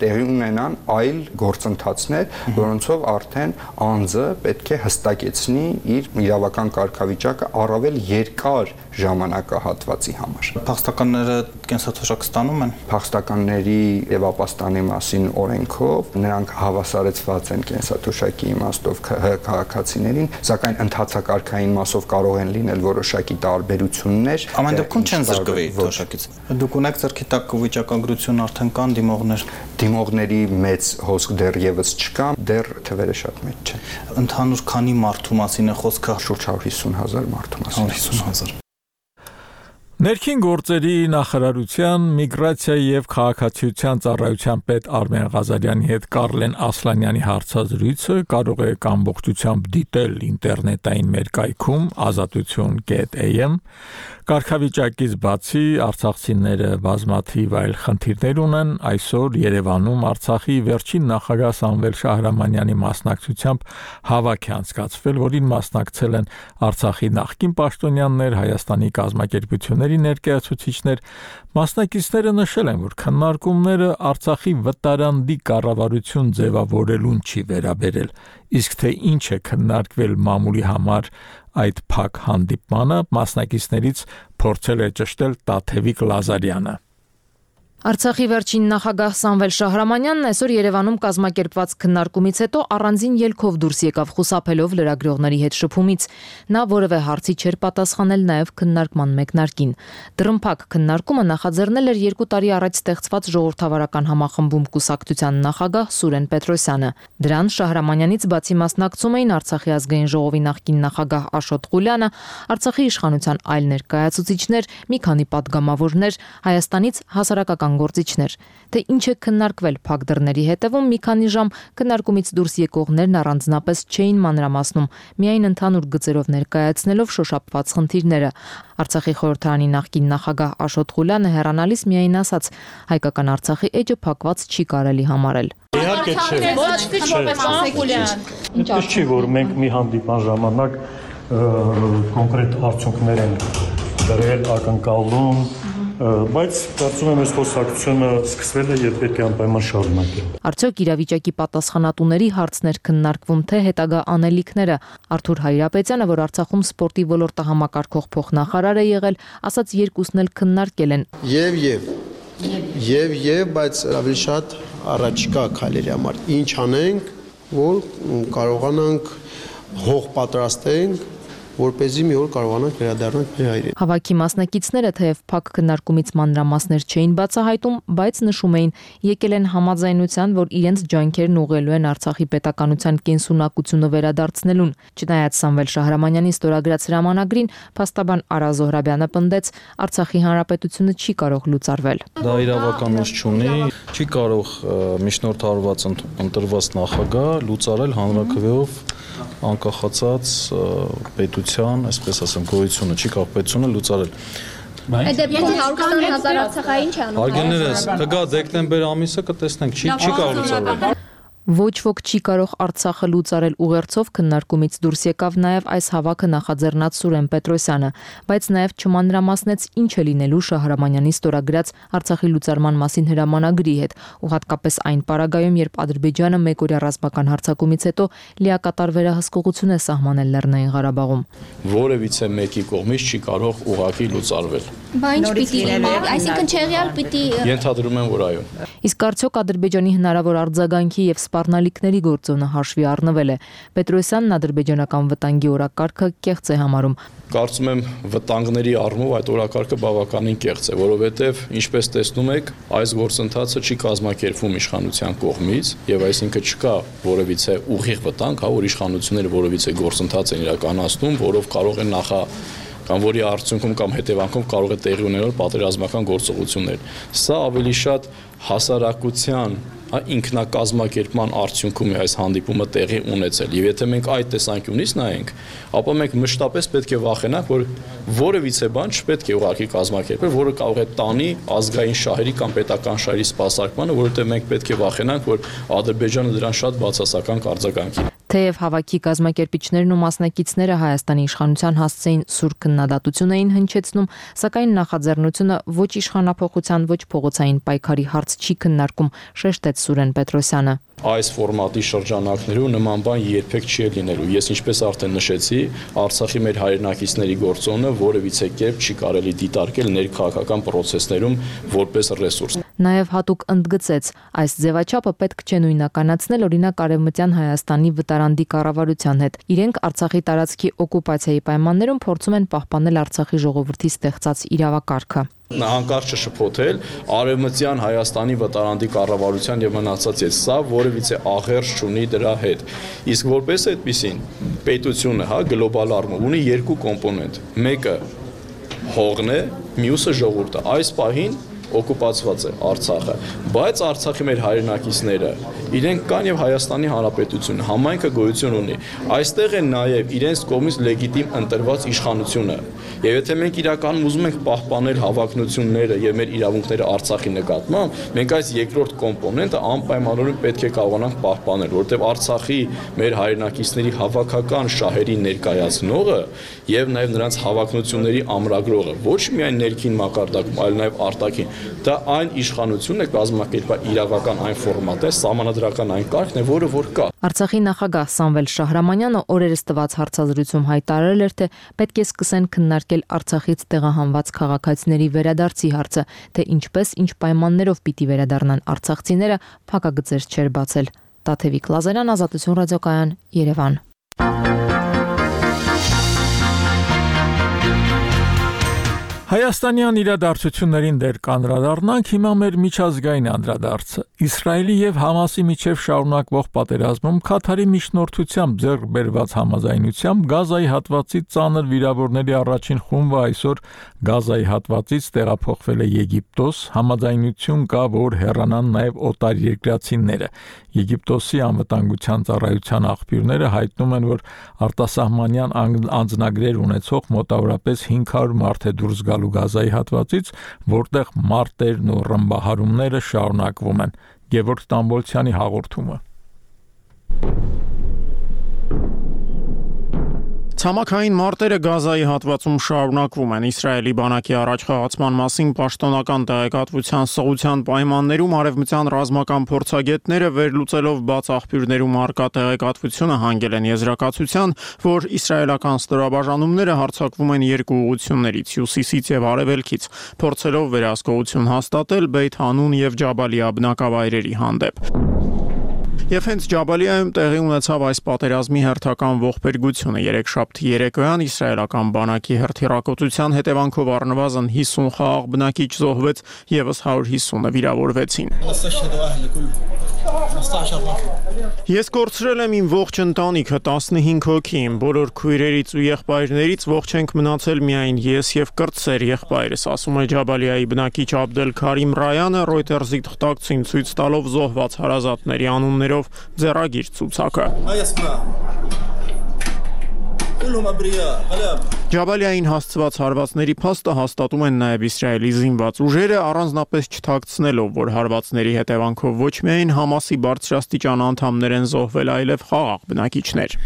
տեղի ունենան այլ գործընթացներ, որոնցով արդեն անձը պետք է հստակեցնի իր իր իրավական կարգավիճակը առավել երկար ժամանակահատվածի համար։ Փախստականները կենսաթոշակ ստանում են։ Փախստականների եւ ապաստանի մասին օրենքով նրանք հավասարեցված են կենսաթոշակի իմաստով քաղաքացիներին, սակայն ընդհանցակարգային մասով կարող են լինել որոշակի տարբերություններ։ Ամեն դեպքում չեն զրկվի թոշակից։ Դուք ունեք ձեռքի տակ վիճակագրություն արդեն կան դիմողներ։ Դիմողների մեծ հոսք դեռևս չկա, դեռ թվերը շատ մեծ չեն։ Ընդհանուր քանի մարդու մասին է խոսքը։ Շուրջ 150,000 մարդու մասին։ 150,000։ Ներքին գործերի նախարարության միգրացիայի եւ քաղաքացիության ծառայության պետ Արմեն Ղազարյանի հետ Կարլեն Ասլանյանի հարցազրույցը կարող եք ամբողջությամբ դիտել ինտերնետային մեր կայքում azatutyon.am Կարգավիճակից բացի արցախցիները բազմաթիվ այլ խնդիրներ ունեն այսօր Երևանում Արցախի վերջին նախագահ Սամվել Շահրամանյանի մասնակցությամբ հավաք է անցկացվել, որին մասնակցել են Արցախի նախկին պաշտոնյաներ, Հայաստանի կազմակերպությունների ներկայացուցիչներ, մասնակիցները նշել են, որ քննարկումները Արցախի վտարանդի կառավարություն ձևավորելուն չի վերաբերել, իսկ թե ինչ է քննարկվել մամուլի համար այդ փակ հանդիպմանը մասնակիցներից փորձել է ճշտել Տաթևիկ Լազարյանը։ Արցախի վերջին նախագահ Սամվել Շահրամանյանն այսօր Երևանում կազմակերպված քննարկումից հետո առանձին ելքով դուրս եկավ խուսափելով լրագրողների հետ շփումից։ Նա որևէ հարցի չէր պատասխանել նաև քննարկման մեկնարկին։ Դռնփակ քննարկումը նախաձեռնել էր 2 տարի առաջ ստեղծված ժողովրդավարական համախմբում կուսակցության նախագահ Սուրեն Պետրոսյանը։ Դրան Շահրամանյանից բացի մասնակցում էին Արցախի ազգային ժողովի նախկին նախագահ Աշոտ Ղուլյանը, Արցախի իշխանության այլ ներկայացուցիչներ, մի քանի պատգամավորներ, Հայաստանից հասարակական գործիչներ, թե ինչ է քննարկվել փակ դռների հետևում մի քանի ժամ քննարկումից դուրս եկողներն առանձնապես չէին մանրամասնում, միայն ընդհանուր գծերով ներկայացնելով շոշափված խնդիրները։ Արցախի խորհրդարանի նախկին նախագահ Աշոտ Ղուլյանը հեռանալիս միայն ասաց. հայկական Արցախի էջը փակված չի կարելի համարել։ Իհարկե չէ։ Ոչ չի, որ մենք մի հանդիպան ժամանակ կոնկրետ արդյունքներ են դրել ակնկալում, բայց կարծում եմ այս խոսակցությունը սկսվել է եւ պետք է անպայման շարունակել։ Արդյոք իրավիճակի պատասխանատուների հարցներ քննարկվում թե հետագա անելիքները։ Արթուր Հայրապետյանը, որ Արցախում սպորտի ոլորտը համակարգող փոխնախարար է եղել, ասաց երկուսն էլ քննարկել են։ Եվ, բայց ավելի շատ առաջիկա քայլերի համար ինչ անենք, որ կարողանանք հող պատրաստենք, որպեսզի մի օր կարողանանք վերադառնանք մեր հայրենի։ Հավաքի մասնակիցները թեև փակ քննարկումից մանրամասներ չէին բացահայտում, բայց նշում էին, եկել են համաձայնության, որ իրենց ջանքերն ուղղելու են Արցախի պետականության կենսունակությունը վերադարձնելուն։ Չնայած Սամվել Շահրամանյանի ստորագրած հրամանագրին, փաստաբան Արա Զոհրաբյանը պնդեց, Արցախի հանրապետությունը չի կարող լուծարվել։ Դա իրավականություն չունի, չի կարող միջնորդարված ընտրված նախագահ լուծարել հանրաքվեով անկախացած պետության, այսպես ասեմ, գոյությունը, չի կարող պետությունը լուծարել։ Այդ դեպքում 120,000 արցախային չի անում։ Հարգելներս, կգա դեկտեմբեր ամիսը կտեսնենք, չի կարող լուծարել։ Ոչ ոք չի կարող Արցախը լուծարել ուղերձով քննարկումից դուրս եկավ նաև այս հավաքը նախաձեռնած Սուրեն Պետրոսյանը, բայց նաև չմանրամասնեց ինչ է լինելու Շահրամանյանի ստորագրած Արցախի լուծարման մասին հրամանագրի հետ, ու հատկապես այն պարագայում, երբ Ադրբեջանը մեկօրյա ռազմական հարձակումից հետո լիակատար վերահսկողություն է սահմանել Լեռնային Ղարաբաղում։ Որևիցե մեկի կողմից չի կարող ուղղակի լուծարվել։ Բա ինչ պիտի լինի, այսինքն չեղյալ պիտի։ Ենթադրում եմ, որ այո։ Իսկ արդյոք Ադրբեջանի հնարավոր արձագանքի եւ սպառնալիքների գործոնը հաշվի առնվել է։ Պետրոսյանն ադրբեջանական վտանգի օրակարգը կեղծ է համարում։ Կարծում եմ վտանգների առումով այդ օրակարգը բավականին կեղծ է, որովհետև ինչպես տեսնում եք, այս գործընթացը չի կազմակերպվում իշխանության կողմից եւ այսինքն չկա որևիցե ուղիղ վտանգ, որ իշխանությունները որևիցե գործընթաց են իրականացնում, որով կարող են կամ որի արդյունքում կամ հետևանքով կարող է տեղի ունենալ պատերազմական գործողություններ։ Սա ավելի շատ հասարակության ինքնակազմակերպման արդյունքում է այս հանդիպումը տեղի ունեցել։ Եվ եթե մենք այդ տեսանկյունից նայենք, ապա մենք մշտապես պետք է վախենանք, որ որևիցե բան չպետք է ուղղակի կազմակերպել, որը կարող է տանի ազգային շահերի կամ պետական շահերի սպասարկմանը, որովհետև մենք պետք է վախենանք, որ Ադրբեջանը դրան շատ բացասական կարձագանքի։ Թեև հավաքի կազմակերպիչներն ու մասնակիցները Հայաստանի իշխանության հասցեին սուր քննադատություն էին հնչեցնում, սակայն նախաձեռնությունը ոչ իշխանափոխության, ոչ փողոցային պայքարի հարց չի քննարկում, շեշտեց Սուրեն Պետրոսյանը։ Այս ֆորմատի շրջանակներում նման բան երբեք չի լինելու։ Ես ինչպես արդեն նշեցի, Արցախի մեր հայրենակիցների գործոնը որևիցե կերպ չի կարելի դիտարկել ներքաղաքական process-ներում որպես ռեսուրս։ Նաև հատուկ ընդգծեց, այս ձևաչափը պետք չէ նույնականացնել օրինակ Արևմտյան Հայաստանի վտարանդի կառավարության հետ։ Իրենք Արցախի տարածքի օկուպացիայի պայմաններում փորձում են պահպանել Արցախի ժողովրդի ստեղծած իրավակարգը։ Հանկարծ շփոթել Արևմտյան Հայաստանի վտարանդի կառավարության եւ մնացած ես սա որևիցե աղերս չունի դրա հետ։ Իսկ որպես այդպեսին պետությունը, գլոբալ առումով ունի երկու կոմպոնենտ։ Մեկը հողն է, մյուսը ժողովուրդը։ Այս պահին օկուպացված է Արցախը, բայց Արցախի մեր հայրենակիցները իրենք կան եւ Հայաստանի Հանրապետությունը համայնքը գոյություն ունի։ Այստեղ է նաեւ իրենց կողմից լեգիտիմ ընտրված իշխանությունը։ Եվ եթե մենք իրականում ուզում ենք պահպանել հավակնությունները եւ մեր իրավունքները Արցախի նկատմամբ, մենք այս երկրորդ կոմպոնենտը անպայմանորեն պետք է կարողանանք պահպանել, որովհետեւ Արցախի մեր հայրենակիցների հավաքական շահերի ներկայացնողը եւ նաեւ նրանց հավակնությունների ամրագրողը ոչ միայն ներքին մակարդակում, այլ նաեւ արտաքին դա այն իշխանությունն է կազմակերպել իրավական այն ֆորմատը, սահմանադրական այն կարգն է, որը որ կա։ Արցախի նախագահ Սամվել Շահրամանյանը օրերս տված հարցազրույցում հայտարարել էր, թե պետք է սկսեն քննարկել Արցախից տեղահանված քաղաքացիների վերադարձի հարցը, թե ինչպես, ինչ պայմաններով պիտի վերադառնան արցախցիները, փակագծեր չէր բացել։ Տաթևիկ Լազարյան, Ազատություն ռադիոկայան, Երևան։ Հայաստանյան իրադարձություններին դեր կանրադառնանք հիմա մեր միջազգային անդրադարձը։ Իսրայելի եւ Համասի միջև շարունակվող պատերազմում Քաթարի միջնորդությամբ ձեռք բերված համաձայնությամբ Գազայի հատվածից ծանր վիրավորների առաջին խումբը այսօր Գազայի հատվածից տեղափոխվել է Եգիպտոս, համաձայնություն կա, որ հեռանան նաեւ օտարերկրացիները։ Եգիպտոսի անվտանգության ծառայության աղբյուրները հայտնում են, որ արտասահմանյան անձնագրեր ունեցող մոտավորապես 500 մարդ է դուրս գալու Գազայի հատվածից, որտեղ մարտերն ու ռմբահարումները շարունակվում են։ Գևորգ Տամբոլցյանի հաղորդումը։ Ցամաքային մարտերը Գազայի հատվածում շարունակվում են։ Իսրայելի բանակի առաջխաղացման մասին պաշտոնական տեղեկատվության սղության պայմաններում արևմտյան ռազմական փորձագետները վերլուծելով բաց աղբյուրներում արկա տեղեկատվությունը հանգել են եզրակացության, որ իսրայելական ստորաբաժանումները հարձակվում են երկու ուղղություններից՝ հյուսիսից եւ արևելքից, փորձելով վերահսկողություն հաստատել Բեյթ Հանուն եւ Ջաբալիա բնակավայրերի հանդեպ։ Եվ հենց Ջաբալիայում տեղի ունեցավ այս պատերազմի հերթական ողբերգությունը։ Երեքշաբթի երեկոյան իսրայելական բանակի հրթիռակոծության հետևանքով առնվազն 50 խաղաղ բնակիչ զոհվեց, եւս 150-ը վիրավորվեցին։ Ես կորցրել եմ իմ ողջ ընտանիքը, 15 հոգի, իմ բոլոր քույրերից ու եղբայրներից ողջ ենք մնացել միայն ես եւ կրտսեր եղբայրս, ասում է Ջաբալիայի բնակիչ Աբդել Քարիմ Ռայանը Reuters-ի թղթակցին ցույց տալով զոհված հարազատների անուններով ձեռագիր ցուցակը։ Ջաբալիային հասցված հարվածների փաստը հաստատում են նաև Իսրայելի զինված ուժերը, առանձնապես չթաքցնելով, որ հարվածների հետևանքով ոչ միայն Համասի բարձրաստիճան անդամներ են զոհվել, այլև խաղաղ բնակիչներ։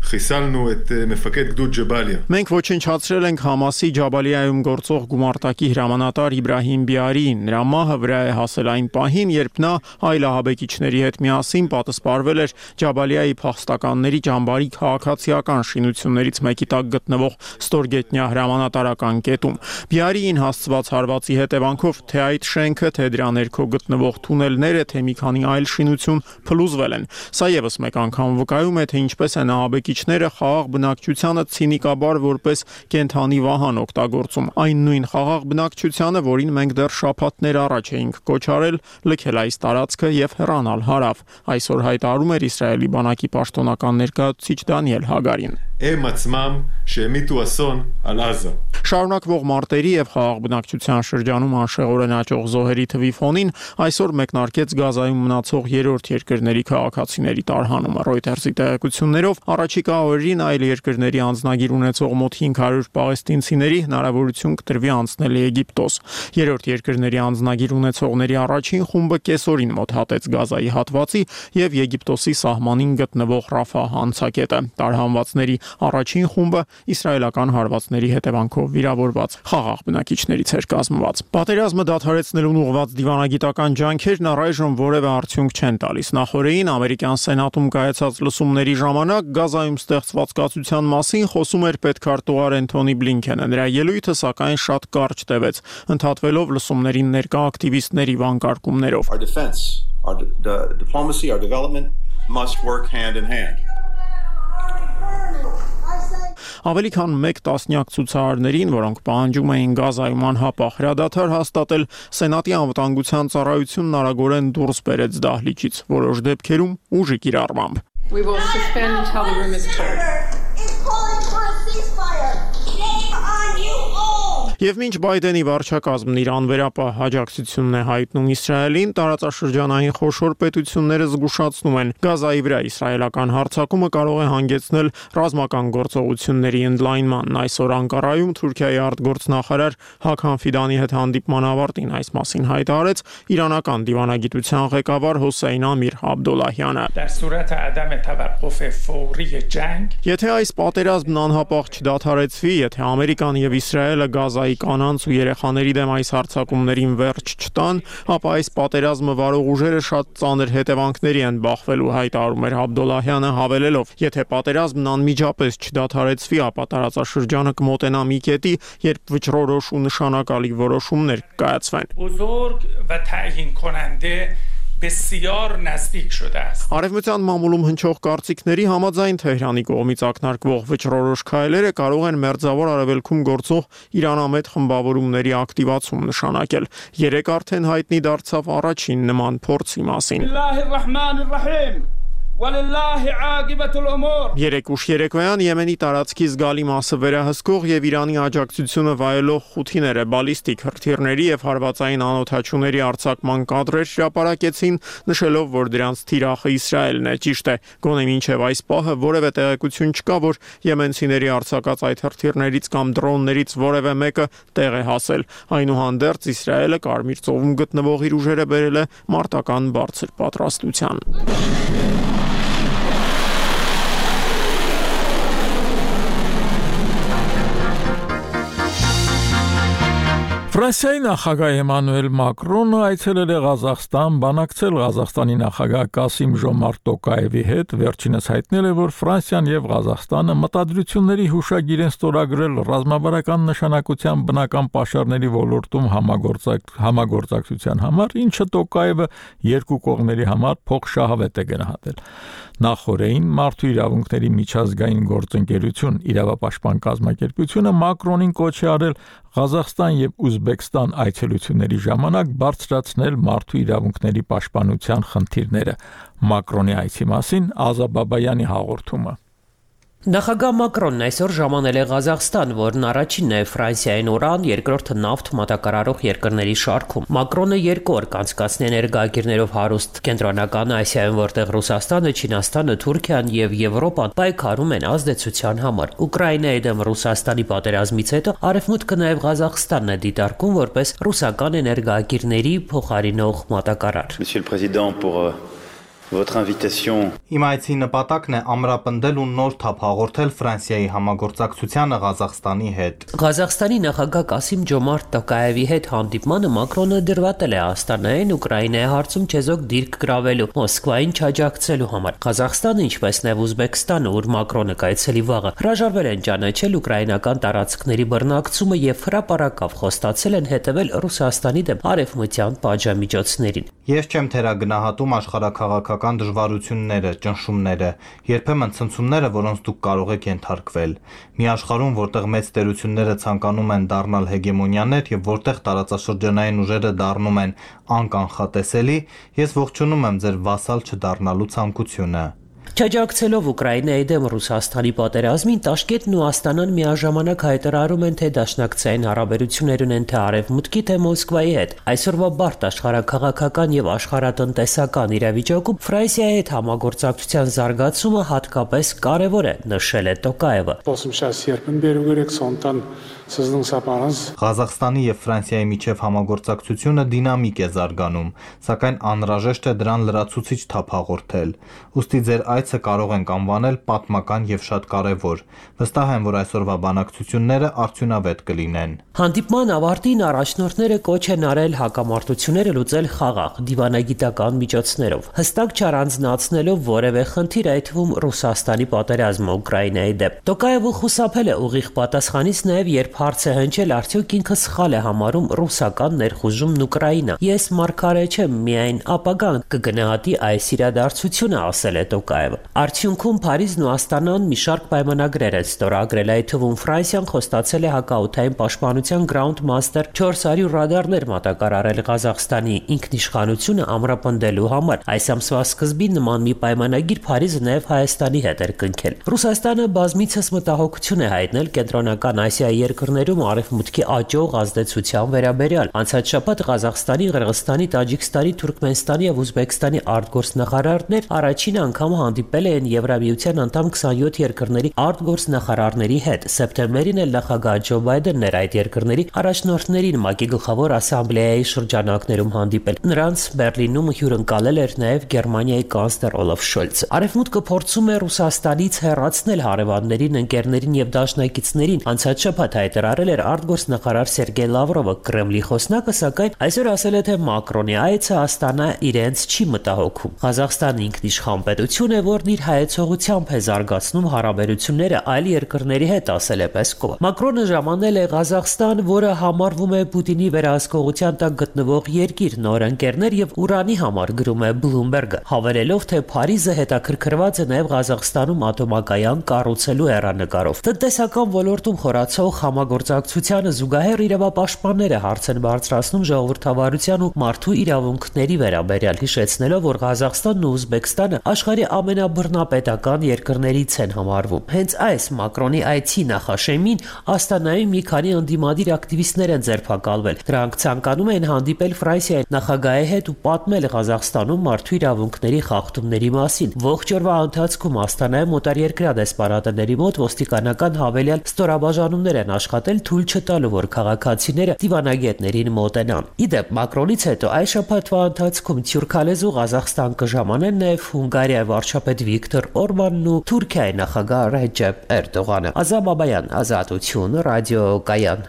חיסלנו את מפקד גדוד ג'באליה. Մենք ոչնչացրել ենք Համասի Ջաբալիայում գործող գումարտակի հրամանատար Իբրահիմ Բիարին։ Նրա մահը վրա է հասել այն պահին, երբ նա այլ ահաբեկիչների հետ միասին պատասպարվել էր Ջաբալիայի փախստականների ճամբարի քաղաքացիական շինություններից մեկի տակ գտնվող ստորգետնյա հրամանատարական կետում։ Բիարիին հասցված հարվածի հետևանքով թե այդ շենքը, թե դրա ներքո գտնվող թունելները, թե մի քանի այլ շինություն փլուզվել են։ Սա եւս մեկ անգամ վկայում է, թե ինչպես են ահաբեկիչները խաղաղ բնակչությանը ցինիկաբար որպես կենթանի վահան օգտագործում, այն նույն խաղաղ բնակչությանը, որին մենք դեռ շաբաթներ առաջ էինք կոչարել լքել այս տարածքը եւ հեռանալ հարավ, այսօր հայտարարում էր Իսրայելի բանակի պաշտոնական ներկայացուցիչ Դանիել Հագարին։ הם עצמם שהמיטו אסון על עזה. Շարունակվող մարտերի եւ խաղաղ բնակչության շրջանում անշեղորեն աճող զոհերի թվի ֆոնին այսօր մեկնարկեց Գազայում մնացող երրորդ երկրների քաղաքացիների տարհանումը։ Reuters-ի տեղեկություններով առաջիկա օրերին այլ երկրների անձնագիր ունեցող մոտ 500 պաղեստինցիների հնարավորություն կտրվի անցնել Եգիպտոս։ Երրորդ երկրների անձնագիր ունեցողների առաջին խումբը կեսօրին մոտ հատեց Գազայի հատվածի եւ Եգիպտոսի սահմանին գտնվող Ռաֆահ անցակետը։ Տարհանվածների առաջին խումբը իսրայելական հարվածների հետևանքով վիրավորված խաղաղ բնակիչներից էր կազմված։ Պատերազմը դադարեցնելուն ուղղված դիվանագիտական ջանքերն առայժմ որևէ արդյունք չեն տալիս։ Նախորդին ամերիկյան սենատում կայացած լսումների ժամանակ Գազայում ստեղծված կացության մասին խոսում էր պետքարտուղար Էնթոնի Բլինքենը։ Նրա ելույթը սակայն շատ կարճ տևեց, ընդհատվելով լսումներին ներկա ակտիվիստների վանկարկումներով։ Our diplomacy, our development must work hand in hand. Ավելի քան 1 տասնյակ ցուցարարներին, որոնք պահանջում էին Գազայում անհապաղ հրադադար հաստատել, Սենատի անվտանգության ծառայությունն արագորեն դուրս բերեց դահլիճից, որոշ դեպքերում ուժի կիրառմամբ։ We will suspend until the room is cleared. Եվ մինչ Բայդենի վարչակազմն իր անվերապահ աջակցությունն է հայտնում Իսրայելին, տարածաշրջանային խոշոր պետությունները զգուշացնում են, Գազայի վրա իսրայելական հարձակումը կարող է հանգեցնել ռազմական գործողությունների ընդլայնման։ Այսօր Անկարայում Թուրքիայի արտգործնախարար Հաքան Ֆիդանի հետ հանդիպման ավարտին այս մասին հայտարարեց իրանական դիվանագիտության ղեկավար Հոսեյն Ամիր Աբդոլլահյանը։ Եթե այս պատերազմն անհապաղ չդադարեցվի, եթե Ամերիկան եւ Իսրայելը Գազայի կանանց ու երեխաների դեմ այս հարձակումներին վերջ չտան, ապա այս պատերազմը վարող ուժերը շատ ծանր հետևանքների են բախվելու, հայտարարում էր Աբդոլլահյանը, հավելելով. եթե պատերազմն անմիջապես չդադարեցվի, ապա տարածաշրջանը կմոտենա մի կետի, երբ վճռորոշ ու նշանակալի որոշումներ կկայացվեն։ بسیار نزدیک شده است. Արևմտյան մամուլում հնչող կարծիքների համաձայն Թեհրանի կողմից ակնարկվող վճռորոշ քայլերը կարող են Մերձավոր Արևելքում գործող իրանամետ խմբավորումների ակտիվացում նշանակել։ Երեկ արդեն հայտնի դարձավ առաջին նման փորձի մասին։ Երեկ ուշ երեկոյան Եմենի տարածքի զգալի մասը վերահսկող եւ Իրանի աջակցությունը վայելող խութիները բալիստիկ հրթիռների եւ հարվածային անօդաչուների արձակման կադրեր հրապարակեցին, նշելով, որ դրանց թիրախը Իսրայելն է։ Ճիշտ է, գոնե մինչեւ այս պահը որևէ տեղեկություն չկա, որ եմենցիների արձակած այդ հրթիռներից կամ դրոններից որևէ մեկը տեղ է հասել։ Այնուհանդերձ Իսրայելը Կարմիր ծովում գտնվող իր ուժերը բերել է մարտական բարձր պատրաստության։ Ֆրանսիայի նախագահ Էմանուել Մակրոնը այցելել է Ղազախստան, բանակցել Ղազախստանի նախագահ Կասիմ Ժոմարտ Տոկաևի հետ, վերջինս հայտնել է, որ Ֆրանսիան եւ Ղազախստանը մտադրությունների հուշագիր են ստորագրել ռազմավարական նշանակության բնական պաշարների ոլորտում համագործակցության համար, ինչը Տոկաևը երկու կողմերի համար փոխշահավետ է գնահատել։ Նախորդին Մարդու իրավունքների միջազգային գործընկերություն իրավապաշտպան կազմակերպությունը Մակրոնին կոչ է արել Ղազախստան եւ Ուզբեկստան այցելությունների ժամանակ բարձրացնել մարդու իրավունքների պաշտպանության խնդիրները։ Մակրոնի այցի մասին Ազա Բաբայանի հաղորդումը։ Նախագահ Մակրոնն այսօր ժամանել է Ղազախստան, որն առաջինն է Ֆրանսիային օրան, երկրորդը նավթ մատակարարող երկրների շարքում։ Մակրոնը 2 օր կանցկացնի ներգաղիրներով հարուստ Կենտրոնական Ասիայում, որտեղ Ռուսաստանը, Չինաստանը, Թուրքիան եւ Եվրոպան պայքարում են ազդեցության համար։ Ուկրաինայի դեմ Ռուսաստանի պատերազմից հետո Արևմուտքը նաեւ Ղազախստանն է դիտարկում որպես ռուսական էներգաղիրների փոխարինող մատակարար։ Monsieur le Président, pour votre invitation. Իմ այցի նպատակն է ամրապնդել ու նոր թափ հաղորդել Ֆրանսիայի համագործակցությանը Ղազախստանի հետ։ Ղազախստանի նախագահ Կասիմ Ջոմարտ Տոկաևի հետ հանդիպմանը Մակրոնը դրվատել է Աստանային Ուկրաինայի հարցում չեզոք դիրք գրավելու, Մոսկվային չաջակցելու համար։ Ղազախստանը, ինչպես նաև Ուզբեկստանը, ուր Մակրոնը կայցելի վաղը, հրաժարվել են ճանաչել ուկրաինական տարածքների բռնակցումը եւ հրապարակավ խոստացել են հետևել Ռուսաստանի դեմ արևմտյան պատժամիջոցներին։ Ես չեմ թերագնահատում աշխարհակաղակական դժվարությունները, ճնշումները, երբեմն ցնցումները, որոնց դուք կարող եք ենթարկվել։ Մի աշխարհում, որտեղ մեծ տերությունները ցանկանում են դառնալ հեգեմոնիաներ եւ որտեղ տարածաշրջանային ուժերը դառնում են անկանխատեսելի, ես ողջունում եմ ձեր վասալ չդառնալու ցանկությունը։ Չաջակցելով Ուկրաինայի դեմ Ռուսաստանի պատերազմին, Տաշկենտն ու Աստանան միաժամանակ հայտարարում են, թե դաշնակցային հարաբերություններ ունեն թե Արևմուտքի, թե Մոսկվայի հետ։ Այսօրվա բարդ աշխարհաքաղաքական եւ աշխարհատնտեսական իրավիճակում Ֆրանսիայի հետ համագործակցության զարգացումը հատկապես կարևոր է, նշել է Տոկաևը։ Ղազախստանի եւ Ֆրանսիայի միջև համագործակցությունը դինամիկ է զարգանում, սակայն անհրաժեշտ է դրան լրացուցիչ թափ հաղորդել։ Ուստի ձեր այցը կարող ենք անվանել պատմական եւ շատ կարևոր։ Վստահ եմ, որ այսօրվա բանակցությունները արդյունավետ կլինեն։ Հանդիպման ավարտին առաջնորդները կոչ են արել հակամարտությունները լուծել խաղաղ, դիվանագիտական միջոցներով, հստակ չառանձնացնելով որևէ խնդիր, այդ թվում Ռուսաստանի պատերազմը Ուկրաինայի դեմ։ Տոկաևը խուսափել է ուղիղ պատասխանից նաեւ երբ հարց է հնչել, արդյոք ինքը սխալ է համարում ռուսական ներխուժումն Ուկրաինա։ Ես մարգարե չեմ, միայն ապագան կգնահատի այս իրադարձությունը, ասել է Տոկաևը։ Արդյունքում Փարիզն ու Աստանան մի շարք պայմանագրեր են ստորագրել, այդ թվում Ֆրանսիան խոստացել է հակաօդային պաշտպանության Ground Master 400 ռադարներ մատակարարել Ղազախստանի ինքնիշխանությունը ամրապնդելու համար։ Այս ամսվա սկզբին նման մի պայմանագիր Փարիզը նաև Հայաստանի հետ էր կնքել։ Ռուսաստանը բազմիցս մտահոգություն է հայտնել կենտրոնական Ասիայի երկրներում Արևմուտքի աճող ազդեցության վերաբերյալ։ Անցած շաբաթ Ղազախստանի, Qırğızstani, Տաջիկստանի, Թուրքմենստանի եւ Ուզբեկստանի արտգործնախարարներ առաջին անգամ հանդիպել են Եվրամիության անդամ 27 երկրների արտգործնախարարների հետ։ Սեպտեմբերին էլ նախագահ Ջո Բայդենն էր այդ երկրների առաջնորդներին ՄԱԿ-ի գլխավոր ասամբլեայի շրջանակներում հանդիպել։ Նրանց Բերլինում հյուրընկալել էր նաեւ Գերմանիայի կանցլեր Օլաֆ Շոլցը։ Արևմուտքը փորձում է Ռուսաստանից հեռացնել հարևաններին, ընկերներին եւ դաշնակիցներին։ Անցած շաբաթ հայտարարել էր արտգործնախարար Սերգեյ Լավրովը։ Կրեմլի խոսնակը սակայն այսօր ասել է, թե Մակրոնի այցը Աստանա իրենց չի մտահոգում։ Ղազախստանը ինքնիշխան պետություն է, որն իր հայեցողությամբ է զարգացնում հարաբերությունները այլ երկրների հետ, ասել է Պեսկովը։ Մակրոնը ժամանել է Ղազախստան, որը համարվում է Պուտինի վերահսկողության տակ գտնվող երկիր, նոր ընկերներ եւ Ուրանի համար, գրում է Bloomberg-ը, հավելելով, թե Փարիզը հետաքրքրված է նաեւ Ղազախստանում ատոմակայան կառուցելու հեռանկարով։ Տնտեսական ոլորտում խորացող համագործակցությանը զուգահեռ իրավապաշտպանները հարց են բարձրացնում ժողովրդավարության ու մարդու իրավունքների վերաբերյալ, հիշեցնելով, որ Ղազախստանն ու Ուզբեկստանը աշխարհի ամենաբռնապետական երկրներից են համարվում։ Հենց այս Մակրոնի այցի նախաշեմին Աստանայում մի քանի ընդդիմադիր ակտիվիստներ են ձերբակալվել։ Դրանք ցանկանում են հանդիպել Ֆրանսիայի նախագահի հետ ու պատմել Ղազախստանում մարդու իրավունքների խախտումների մասին։ Ողջ օրվա ընթացքում Աստանայում օտարերկրյա դեսպանատների մոտ ոստիկանական հավելյալ ստորաբաժանումներ են աշխատել, թույլ չտալու, որ քաղաքացիները դիվանագետներին մոտենան։ Իդեպ Մակրոնից հետո այս շաբաթվա ընթացքում թուրքալեզու Ղազախստան կժամանեն նաև Հունգարիայի վարչապետ Վիկտոր Օրբանն ու Թուրքիայի նախագահ Ռեջեփ Էրդողանը։ Ազամ Բաբայան, Ազատություն, Ռադիո Կայան։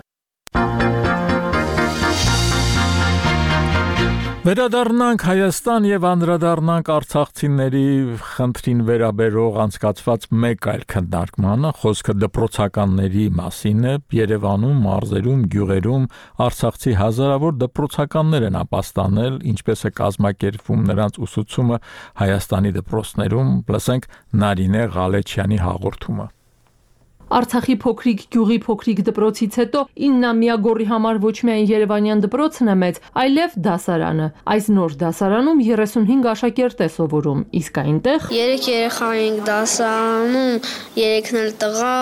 Վերադառնանք Հայաստան եւ անդրադառնանք արցախցիների խնդրին վերաբերող անցկացված մեկ այլ քննարկմանը, խոսքը դպրոցականների մասին է։ Երևանում, մարզերում, գյուղերում արցախցի հազարավոր դպրոցականներ են ապաստանել, ինչպես է կազմակերպվում նրանց ուսուցումը Հայաստանի դպրոցներում։ Լսենք Նարինե Ղալեչյանի հաղորդումը։ Արցախի փոքրիկ գյուղի փոքրիկ դպրոցից հետո 9-ամյա Գոռի համար ոչ միայն Երևանյան դպրոցն է մեծ, այլև դասարանը։ Այս նոր դասարանում 35 աշակերտ է սովորում, իսկ այնտեղ 3 երեխա ենք դասարանում, 3-ն էլ տղա։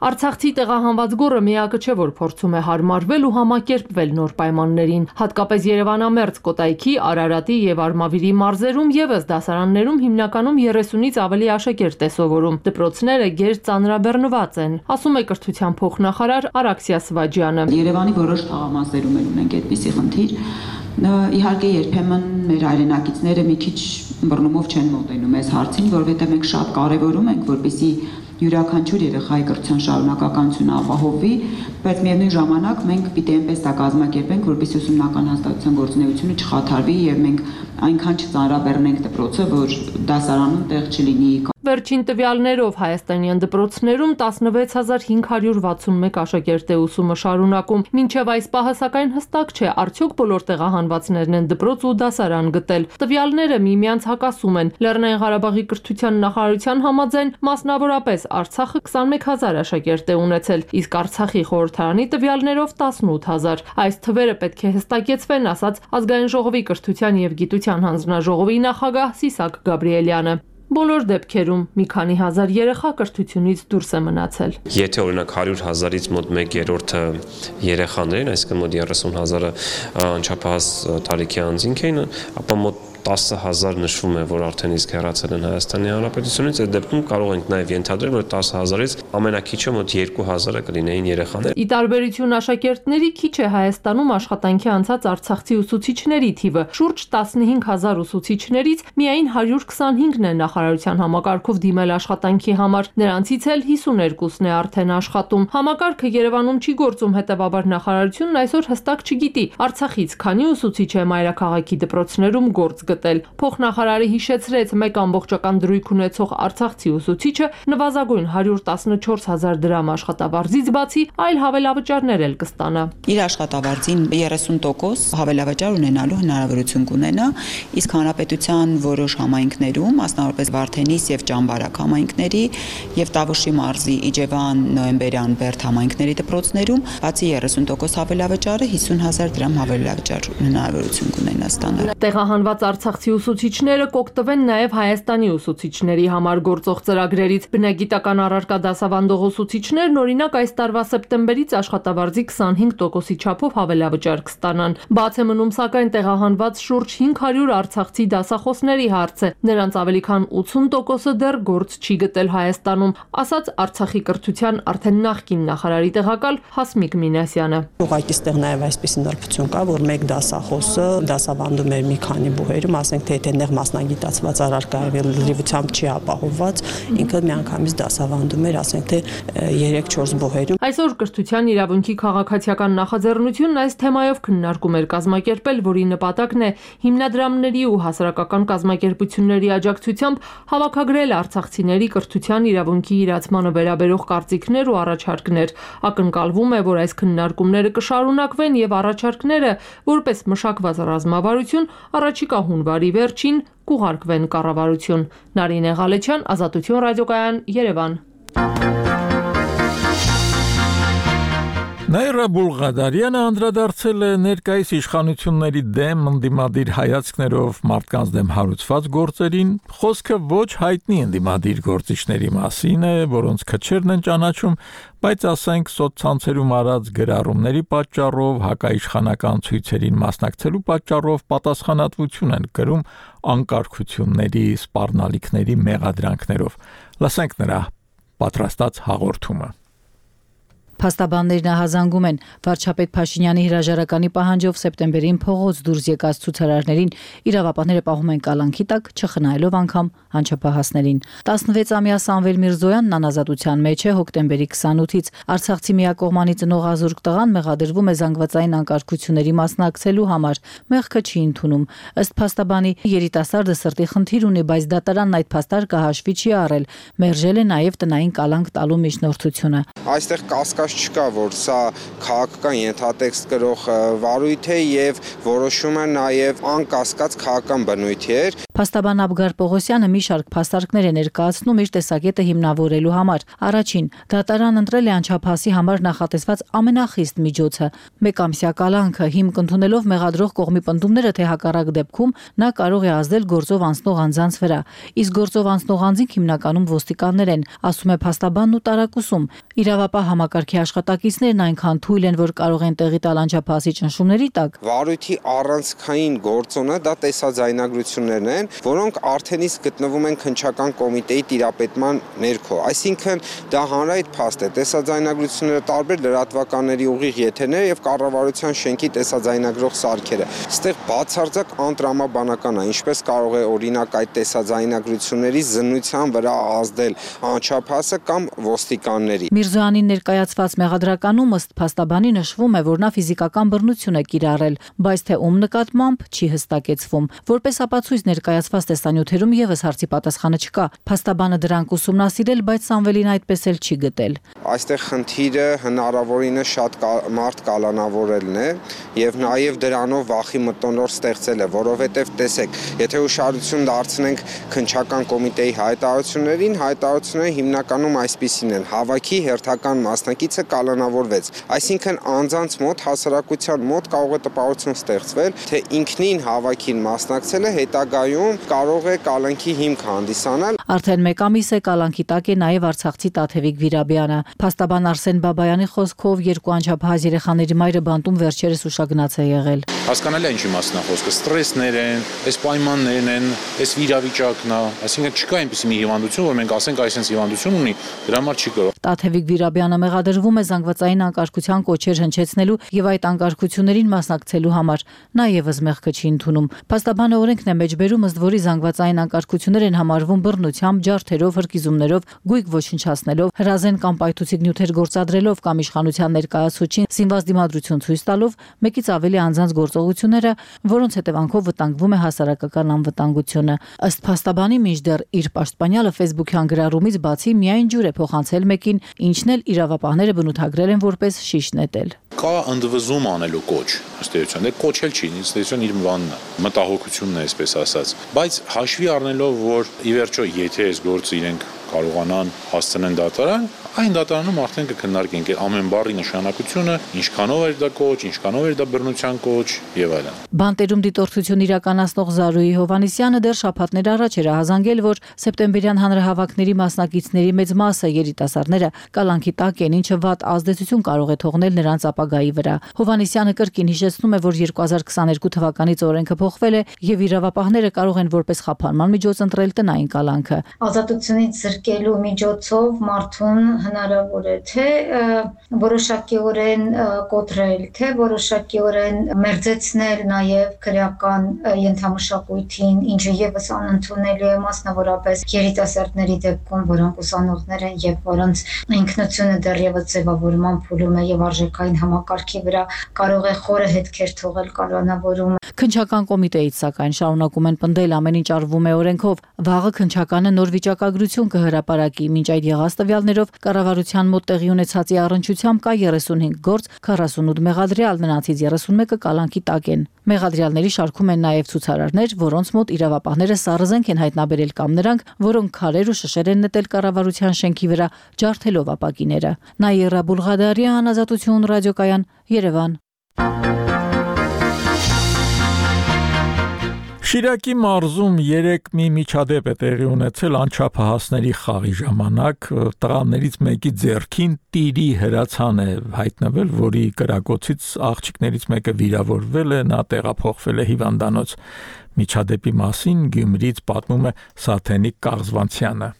Արցախցի տեղահանված Գոռը միակը չէ, որ փորձում է հարմարվել ու համակերպվել նոր պայմաններին։ Հատկապես Երևանամերձ Կոտայքի, Արարատի եւ Արմավիրի մարզերում եւս դասարաններում հիմնականում 30-ից ավելի աշակերտ է սովորում։ Դպրոցները գեր ծանրաբեռնված են, ասում է կրթության փոխնախարար Արաքսիա Սվաջյանը։ Երևանի որոշ թաղամասերում ունենք այդպիսի խնդիր։ Իհարկե երբեմն մեր հայրենակիցները մի քիչ բռնումով չեն մոտենում այս հարցին, որովհետեւ մենք շատ կարեւորում ենք, որպեսզի յուրաքանչյուր երեխայի կրթության շարունակականությունը ապահովվի, բայց միևնույն ժամանակ մենք պիտի այնպես դա կազմակերպենք, որպեսզի ուսումնական հաստատության գործունեությունը չխաթարվի եւ մենք այնքան չծանրաբեռնենք դպրոցը, որ դասարանում տեղ չլինի։ Վերջին տվյալներով հայաստանյան դպրոցներում 16561 աշակերտ է ուսումը շարունակում։ Մինչև այս պահը սակայն հստակ չէ, արդյոք բոլոր տեղահանվածներն են դպրոց ու դասարան գտել։ Տվյալները միմյանց հակասում են։ Լեռնային Ղարաբաղի կրթության նախարարության համաձայն մասնավորապես Արցախը 21000 աշակերտ է ունեցել, իսկ Արցախի խորհրդարանի տվյալներով 18000։ Այս թվերը պետք է հստակեցվեն, ասաց Ազգային ժողովի կրթության եւ գիտության հանձնաժողովի նախագահ Սիսակ Գաբրիելյանը։ Բոլոր դեպքերում մի քանի հազար երեխա կրթությունից դուրս է մնացել։ Եթե օրինակ 100,000-ից մոտ 1/3-ը երեխաներ են, այսինքն մոտ 30,000-ը անչափահաս տարիքի անձինք էին, ապա մոտ 10,000 նշվում է, որ արդեն իսկ հեռացել են Հայաստանի Հանրապետությունից, այդ դեպքում կարող ենք նաև ենթադրել, որ 10,000-ից ամենակիչը մոտ 2,000-ը կլինեին երեխաներ։ Ի տարբերություն աշակերտների քիչ է Հայաստանում աշխատանքի անցած արցախցի ուսուցիչների թիվը։ Շուրջ 15,000 ուսուցիչներից միայն 125-ն է նախարարության համակարգով դիմել աշխատանքի համար, նրանցից էլ 52-ն է արդեն աշխատում։ Համակարգը Երևանում չի գործում, հետևաբար նախարարությունն այսօր հստակ չգիտի Արցախից քանի ուսուցիչ է մայրաքաղաքի դպրոցներում գործ գտել։ Փոխնախարարը հիշեցրեց, մեկ ամբողջական դրույք ունեցող արցախցի ուսուցիչը նվազագույն 114,000 դրամ աշխատավարձից բացի այլ հավելավճարներ էլ կստանա։ Իր աշխատավարձին 30% հավելավճար ունենալու հնարավորություն կունենա, իսկ հանրապետության որոշ համայնքներում, մասնավորապես Վարդենիս եւ Ճամբարակ համայնքների եւ Տավուշի մարզի Իջևան, Նոյեմբերյան, Բերդ համայնքների դպրոցներում բացի 30% հավելավճարը 50,000 դրամ հավելավճար հնարավորություն կունենա ստանալ։ Տեղահանված արցախցի ուսուցիչները կօգտվեն նաև Հայաստանի ուսուցիչների համար գործող ծրագրերից։ Բնագիտական առարկա դասավանդող ուսուցիչներն օրինակ այս տարվա սեպտեմբերից աշխատավարձի 25%-ի չափով հավելավճար կստանան։ Բաց է մնում սակայն տեղահանված շուրջ 500 արցախցի դասախոսների հարցը։ Նրանց ավելի քան 80%-ը դեռ գործ չի գտել Հայաստանում, ասաց Արցախի կրթության արդեն նախկին նախարարի տեղակալ Հասմիկ Մինասյանը։ Ուղղակի ստեղ նաև այսպիսի նրբություն կա, որ մեկ դասախոսը դասավանդում էր մի քանի բուհերում, ասենք թե եթե նեղ մասնագիտացված առարկա է լրիվությամբ չի ապահովված, ինքը միանգամից դասավանդում էր, ասենք թե 3-4 բուհերում։ Այսօր կրթության իրավունքի քաղաքացիական նախաձեռնությունն այս թեմայով քննարկում էր կազմակերպել, որի նպատակն է հիմնադրամների ու հասարակական կազմակերպությունների աջակցությամբ հավաքագրել արցախցիների կրթության իրավունքի իրացմանը վերաբերող կարծիքներ ու առաջարկներ։ Ակնկալվում է, որ այս քննարկումները կշարունակվեն եւ առաջարկները, որպես մշակված ռազմավարություն, առաջիկա հունվարի վերջին կուղարկվեն կառավարություն։ Նարինե Ղալեչյան, Ազատություն ռադիոկայան, Երևան։ Նաիրա Բուլղադարյանը անդրադարձել է ներկայիս իշխանությունների դեմ ընդդիմադիր հայացքներով մարդկանց դեմ հարուցված գործերին, խոսքը ոչ հայտնի ընդդիմադիր գործիչների մասին է, որոնց քչերն են ճանաչում, բայց ասենք սոցցանցերում արած գրառումների պատճառով, հակաիշխանական ցույցերին մասնակցելու պատճառով պատասխանատվություն են կրում անկարգությունների, սպառնալիքների մեղադրանքներով։ Լսենք նրա պատրաստած հաղորդումը։ Փաստաբաններն ահազանգում են վարչապետ Փաշինյանի հրաժարականի պահանջով սեպտեմբերին փողոց դուրս եկած ցուցարարներին իրավապահները պահում են կալանքի տակ, չխնայելով անգամ անչափահասներին։ 16-ամյա Սամվել Միրզոյանն անազատության մեջ է հոկտեմբերի 28-ից։ Արցախցի միակողմանի ծնող ազուրկ տղան մեղադրվում է զանգվածային անկարգությունների մասնակցելու համար։ Մեղքը չի ընդունում։ Ըստ փաստաբանի երիտասարդը սրտի խնդիր ունի, բայց դատարանն այդ փաստարկը հաշվի չի առել։ Մերժել է նաև տնային կալանք տալու միջնորդությունը։ Այստեղ կասկած չկա, որ սա քաղաքական ենթատեքստ կրող վարույթ է եւ որոշում է նաեւ անկասկած քաղաքական բնույթ է։ Փաստաբան Աբգար Պողոսյանը մի շարք փաստարկներ է ներկայացնում իր տեսակետը հիմնավորելու համար։ Առաջին, դատարան ընտրել է անչափահասի համար նախատեսված ամենախիստ միջոցը՝ մեկամսյա կալանքը, հիմք ընդունելով մեղադրող կողմի պնդումները, թե հակառակ դեպքում նա կարող է ազդել գործով անցնող անձանց վրա։ Իսկ գործով անցնող անձինք հիմնականում ոստիկաններ են, ասում է փաստաբանն ու տարակուսում։ Իրավապահ համակարգի աշխատակիցներն այնքան թույլ են, որ կարող են տեղի տալ անչափահասի ճնշումների տակ։ Վարույթի առանցքային գործոնը դա տեսաձայնագրություններն են, որոնք արդեն իսկ գտնվում են քննչական կոմիտեի տիրապետման ներքո։ Այսինքն դա հանրայդ փաստ է, տեսաձայնագրությունները տարբեր լրատվականների ուղիղ եթերներ եւ կառավարության շենքի տեսաձայնագրող սարքերը։ Այստեղ բացարձակ անտրամաբանական է, ինչպես կարող է օրինակ այդ տեսաձայնագրությունների զննության վրա ազդել անչափահասը կամ ոստիկանների։ Միրզոյանին ներկայացված մեղադրականում ըստ փաստաբանի նշվում է, որ նա ֆիզիկական բռնություն է կիրառել, բայց թե ում նկատմամբ չի հստակեցվում։ Որպես ապացույց ներկայացված տեսանյութերում եւս հարցի պատասխանը չկա։ Փաստաբանը դրանք ուսումնասիրել, բայց Սամվելին այդպես էլ չի գտել։ Այստեղ խնդիրը հնարավորինս շատ մարդ կալանավորելն է եւ նաեւ դրանով վախի մթնոլորտ ստեղծել է, որովհետեւ տեսեք, եթե ուշադրություն դարձնենք քննչական կոմիտեի հայտարարություններին, հայտարարությունները հիմնականում այսպիսին են. հավաքի հերթական մասնակից ցույցը կալանավորվեց։ Այսինքն անձանց մոտ, հասարակության մոտ կարող է տպավորություն ստեղծվել, թե ինքնին հավաքին մասնակցելը հետագայում կարող է կալանքի հիմք հանդիսանալ։ Արդեն մեկ ամիս է կալանքի տակ է նաև Արցախցի Տաթևիկ Վիրաբյանը։ Փաստաբան Արսեն Բաբայանի խոսքով երկու անչափահաս երեխաների մայրը բանտում վերջերս ուշագնաց է եղել։ Հասկանալի է ինչի մասն է խոսքը, ստրեսներ են, այս պայմաններն են, այս վիրավիճակն է, այսինքն չկա այնպիսի մի հիվանդություն, որ մենք ասենք այսպես հիվանդություն ունի, դրա համար չի կարող։ Տաթևիկ Վիրաբյանը մեղադրվում է զանգվածային անկարգության կոչեր հնչեցնելու եւ այդ անկարգություններին մասնակցելու համար։ Նա եւս մեղքը չի ընդունում։ Փաստաբանը օրենքն է մեջբերում, ըստ որի զանգվածային անկարգություններ են համարվում բռնությամբ, ջարդերով, հրկիզումներով, գույք ոչնչացնելով, հրազեն կամ պայթուցիկ նյութեր գործադրելով կամ իշխանության ներկայացուցչին զինված դիմադրություն ցույց տալով, մեկից ավելի անձանց գործողությունները, որոնց հետևանքով վտանգվում է հասարակական անվտանգությունը։ Ըստ փաստաբանի, մինչդեռ իր պաշտպանյալը Facebook-յան գրառումից բացի միայն ջուր է փոխանցել մեկին, ինչն էլ իրավապահները բնութագրել են որպես շիշ նետել։ Կա ընդվզում անելու կոչ, ըստ էության, դե կոչ էլ չի, ըստ էության իր բանն է, մտահոգությունն է, այսպես ասած, բայց հաշվի առնելով, որ ի վերջո եթե այս գործը իրենք կարողանան հասցնեն դատարան, այն դատարանում արդեն կքննարկենք ամեն բառի նշանակությունը, ինչքանով էր դա կոչ, ինչքանով էր դա բռնության կոչ եւ այլն։ Բանտերում դիտորդություն իրականացնող Զարուհի Հովանեսյանը դեռ շաբաթներ առաջ էր ահազանգել, որ սեպտեմբերյան հանրահավաքների մասնակիցների մեծ մասը երիտասարդները կալանքի տակ են, ինչը վատ ազդեցություն կարող է թողնել նրանց ապագայի վրա։ Հովանեսյանը կրկին հիշեցնում է, որ 2022 թվականից օրենքը փոխվել է եւ իրավապահները կարող են որպես խափանման միջոց ընտրել տնային կալանքը։ Ազատությունից զրկելու միջոցով մարդուն հնարավոր է թե որոշակիորեն կոտրել, թե որոշակիորեն մերձեցնել նաև քրեական ենթամշակույթին, ինչը եւս անընդունելի է մասնավորապես երիտասարդների դեպքում, որոնք ուսանողներ են եւ որոնց ինքնությունը դեռևս ձևավորման փուլում է եւ արժեքային համակարգի վրա կարող է խորը հետքեր թողել կանոնավորումը։ Քննչական կոմիտեից սակայն շարունակում են պնդել ամեն ինչ արվում է օրենքով։ Վաղը քննչականը նոր վիճակագրություն կհրապարակի, մինչ այդ եղած տվյալներով կառավարության մոտ տեղի ունեցածի առնչությամբ կա 35 գործ, 48 մեղադրյալ, նրանցից 31-ը կալանքի տակ են։ Մեղադրյալների շարքում են նաև ցուցարարներ, որոնց մոտ իրավապահները սառնզենք են հայտնաբերել կամ նրանք, որոնք քարեր ու շշեր են նետել կառավարության շենքի վրա, ջարդելով ապակիները։ Նաիրա Բուլղադարյան, Ազատություն ռադիոկայան, Երևան։ Շիրակի մարզում 3 մի միջադեպ է տեղի ունեցել անչափահասների խաղի ժամանակ, տղաներից մեկի ձեռքին տիրի հրացան է հայտնվել, որի կրակոցից աղջիկներից մեկը վիրավորվել է, նա տեղափոխվել է հիվանդանոց։ Միջադեպի մասին Գյումրիից պատմում է Սաթենիկ Կաղզվանցյանը։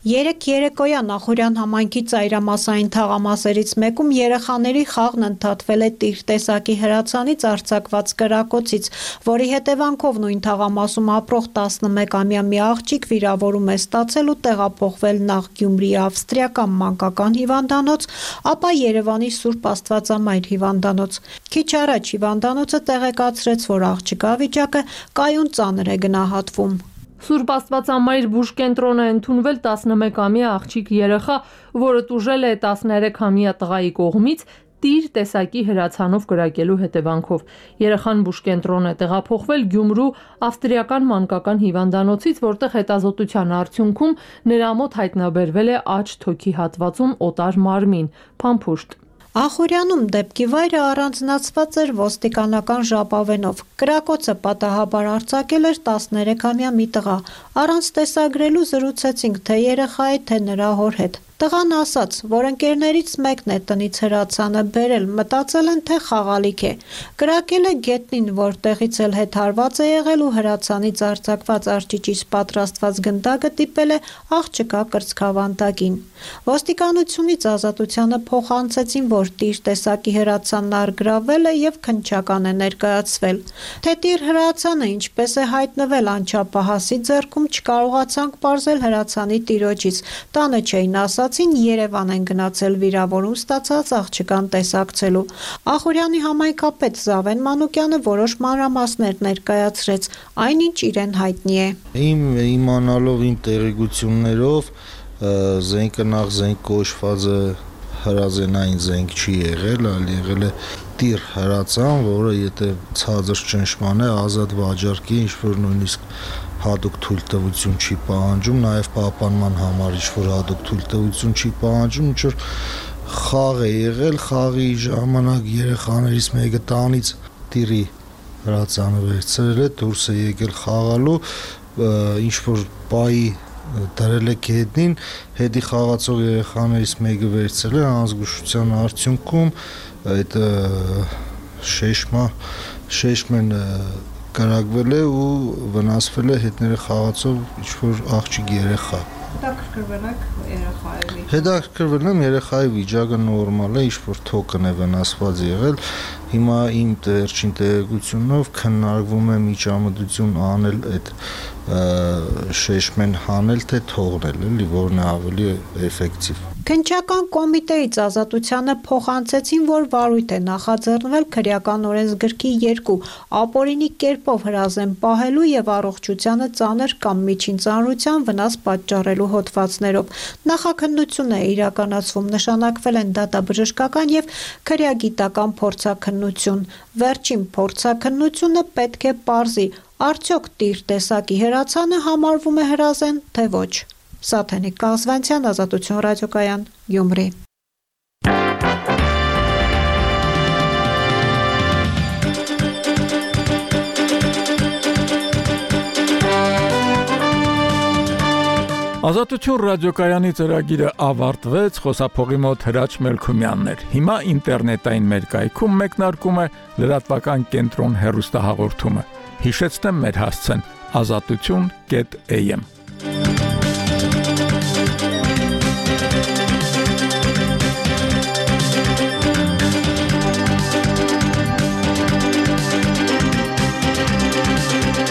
Երեկ երեկոյան Ախորյան համայնքի ծայրամասային թաղամասերից մեկում երեխաների խաղն ընդհատվել է տիր տեսակի հրացանից արձակված կրակոցից, որի հետևանքով նույն թաղամասում ապրող 11-ամյա մի աղջիկ վիրավորում է ստացել ու տեղափոխվել նախ Գյումրիի ավստրիական մանկական հիվանդանոց, ապա Երևանի Սուրբ Աստվածամայր հիվանդանոց։ Քիչ առաջ հիվանդանոցը տեղեկացրեց, որ աղջկա վիճակը կայուն ծանր է գնահատվում։ Սուրբ Աստվածամայր բուժկենտրոն է ընդունվել 11-ամյա աղջիկ երեխա, որը տուժել է 13-ամյա տղայի կողմից տիր տեսակի հրացանով կրակելու հետևանքով։ Երեխան բուժկենտրոն է տեղափոխվել Գյումրու ավստրիական մանկական հիվանդանոցից, որտեղ հետազոտության արդյունքում նրա մոտ հայտնաբերվել է աջ թոքի հատվածում օտար մարմին, փամփուշտ։ Ախորյանում դեպքի վայրը առանձնացված էր ոստիկանական ժապավենով։ Կրակոցը պատահաբար արձակել էր 13-ամյա մի տղա։ Առանց տեսագրելու զրուցեցինք թե երեխայի, թե նրա հոր հետ։ Տղան ասաց, որ ընկերներից մեկն է տնից հրացանը բերել, մտածել են, թե խաղալիք է։ Կրակել է գետնին, որտեղից էլ հետ հարված է եղել ու հրացանից արձակված արջիճից պատրաստված գնդակը տիպել է աղջկա կրծքավանդակին։ Ոստիկանությունից Ազատությանը փոխանցեցին, որ տիր տեսակի հրացանն առգրավել է եւ քննչական է ներկայացվել։ Թե տիր հրացանը ինչպես է հայտնվել անչափահասի ձեռքում չկարողացանք պարզել հրացանի տիրոջից։ Տանը չէին ասացին Երևան են գնացել վիրավորում ստացած աղջկան տեսակցելու։ Ախորյանի համայնքապետ Զավեն Մանուկյանը որոշ մանրամասներ ներկայացրեց, այնինչ իրեն հայտնի է։ Իմ իմանալով իմ տեղեկություններով զենքը նախ զենք կոչվածը հրազենային զենք չի եղել, այլ եղել է տիր հրացան, որը եթե ցածր ճնշման է ազատ վաճառքի, ինչ որ նույնիսկ հատուկ թույլտվություն չի պահանջում, նաև պահպանման համար ինչ որ հատուկ թույլտվություն չի պահանջում, ինչ որ խաղ է եղել, խաղի ժամանակ երեխաներից մեկը տանից տիրի հրացանը վերցրել է, դուրս է եկել խաղալու, ինչ որ պայի դրել է գետնին, հետի խաղացող երեխաներից մեկը վերցրել է, անզգուշության արդյունքում այդ շեշմեն կրակվել է ու վնասվել է հետները խաղացող ինչ որ աղջիկ երեխա։ Հետաքրքրվել եմ երեխայի վիճակը նորմալ է, ինչ որ թոքն է վնասված եղել։ Հիմա իմ վերջին տեղեկությունով քննարկվում է միջամտություն անել այդ շեշմեն հանել թե թողնել, էլի, որն է ավելի էֆեկտիվ։ Քննչական կոմիտեից Ազատությանը փոխանցեցին, որ վարույթ է նախաձեռնվել քրեական օրենսգրքի 2 ապօրինի կերպով հրազեն պահելու եւ առողջությանը ծանր կամ միջին ծանրության վնաս պատճառելու հոդվածներով։ Նախաքննություն է իրականացվում, նշանակվել են դատաբժշկական եւ քրեագիտական փորձաքննություն։ Վերջին փորձաքննությունը պետք է պարզի, արդյոք տիր տեսակի հրացանը համարվում է հրազեն, թե ոչ։ Սաթենիկ Կազվանցյան, Ազատություն ռադիոկայան, Գյումրի։ Ազատություն ռադիոկայանի ծրագիրը ավարտվեց, խոսափողի մոտ Հրաչ Մելքումյանն էր։ Հիմա ինտերնետային մեր կայքում մեկնարկում է լրատվական կենտրոն հեռուստահաղորդումը։ Հիշեցնեմ մեր հասցեն azatutun.am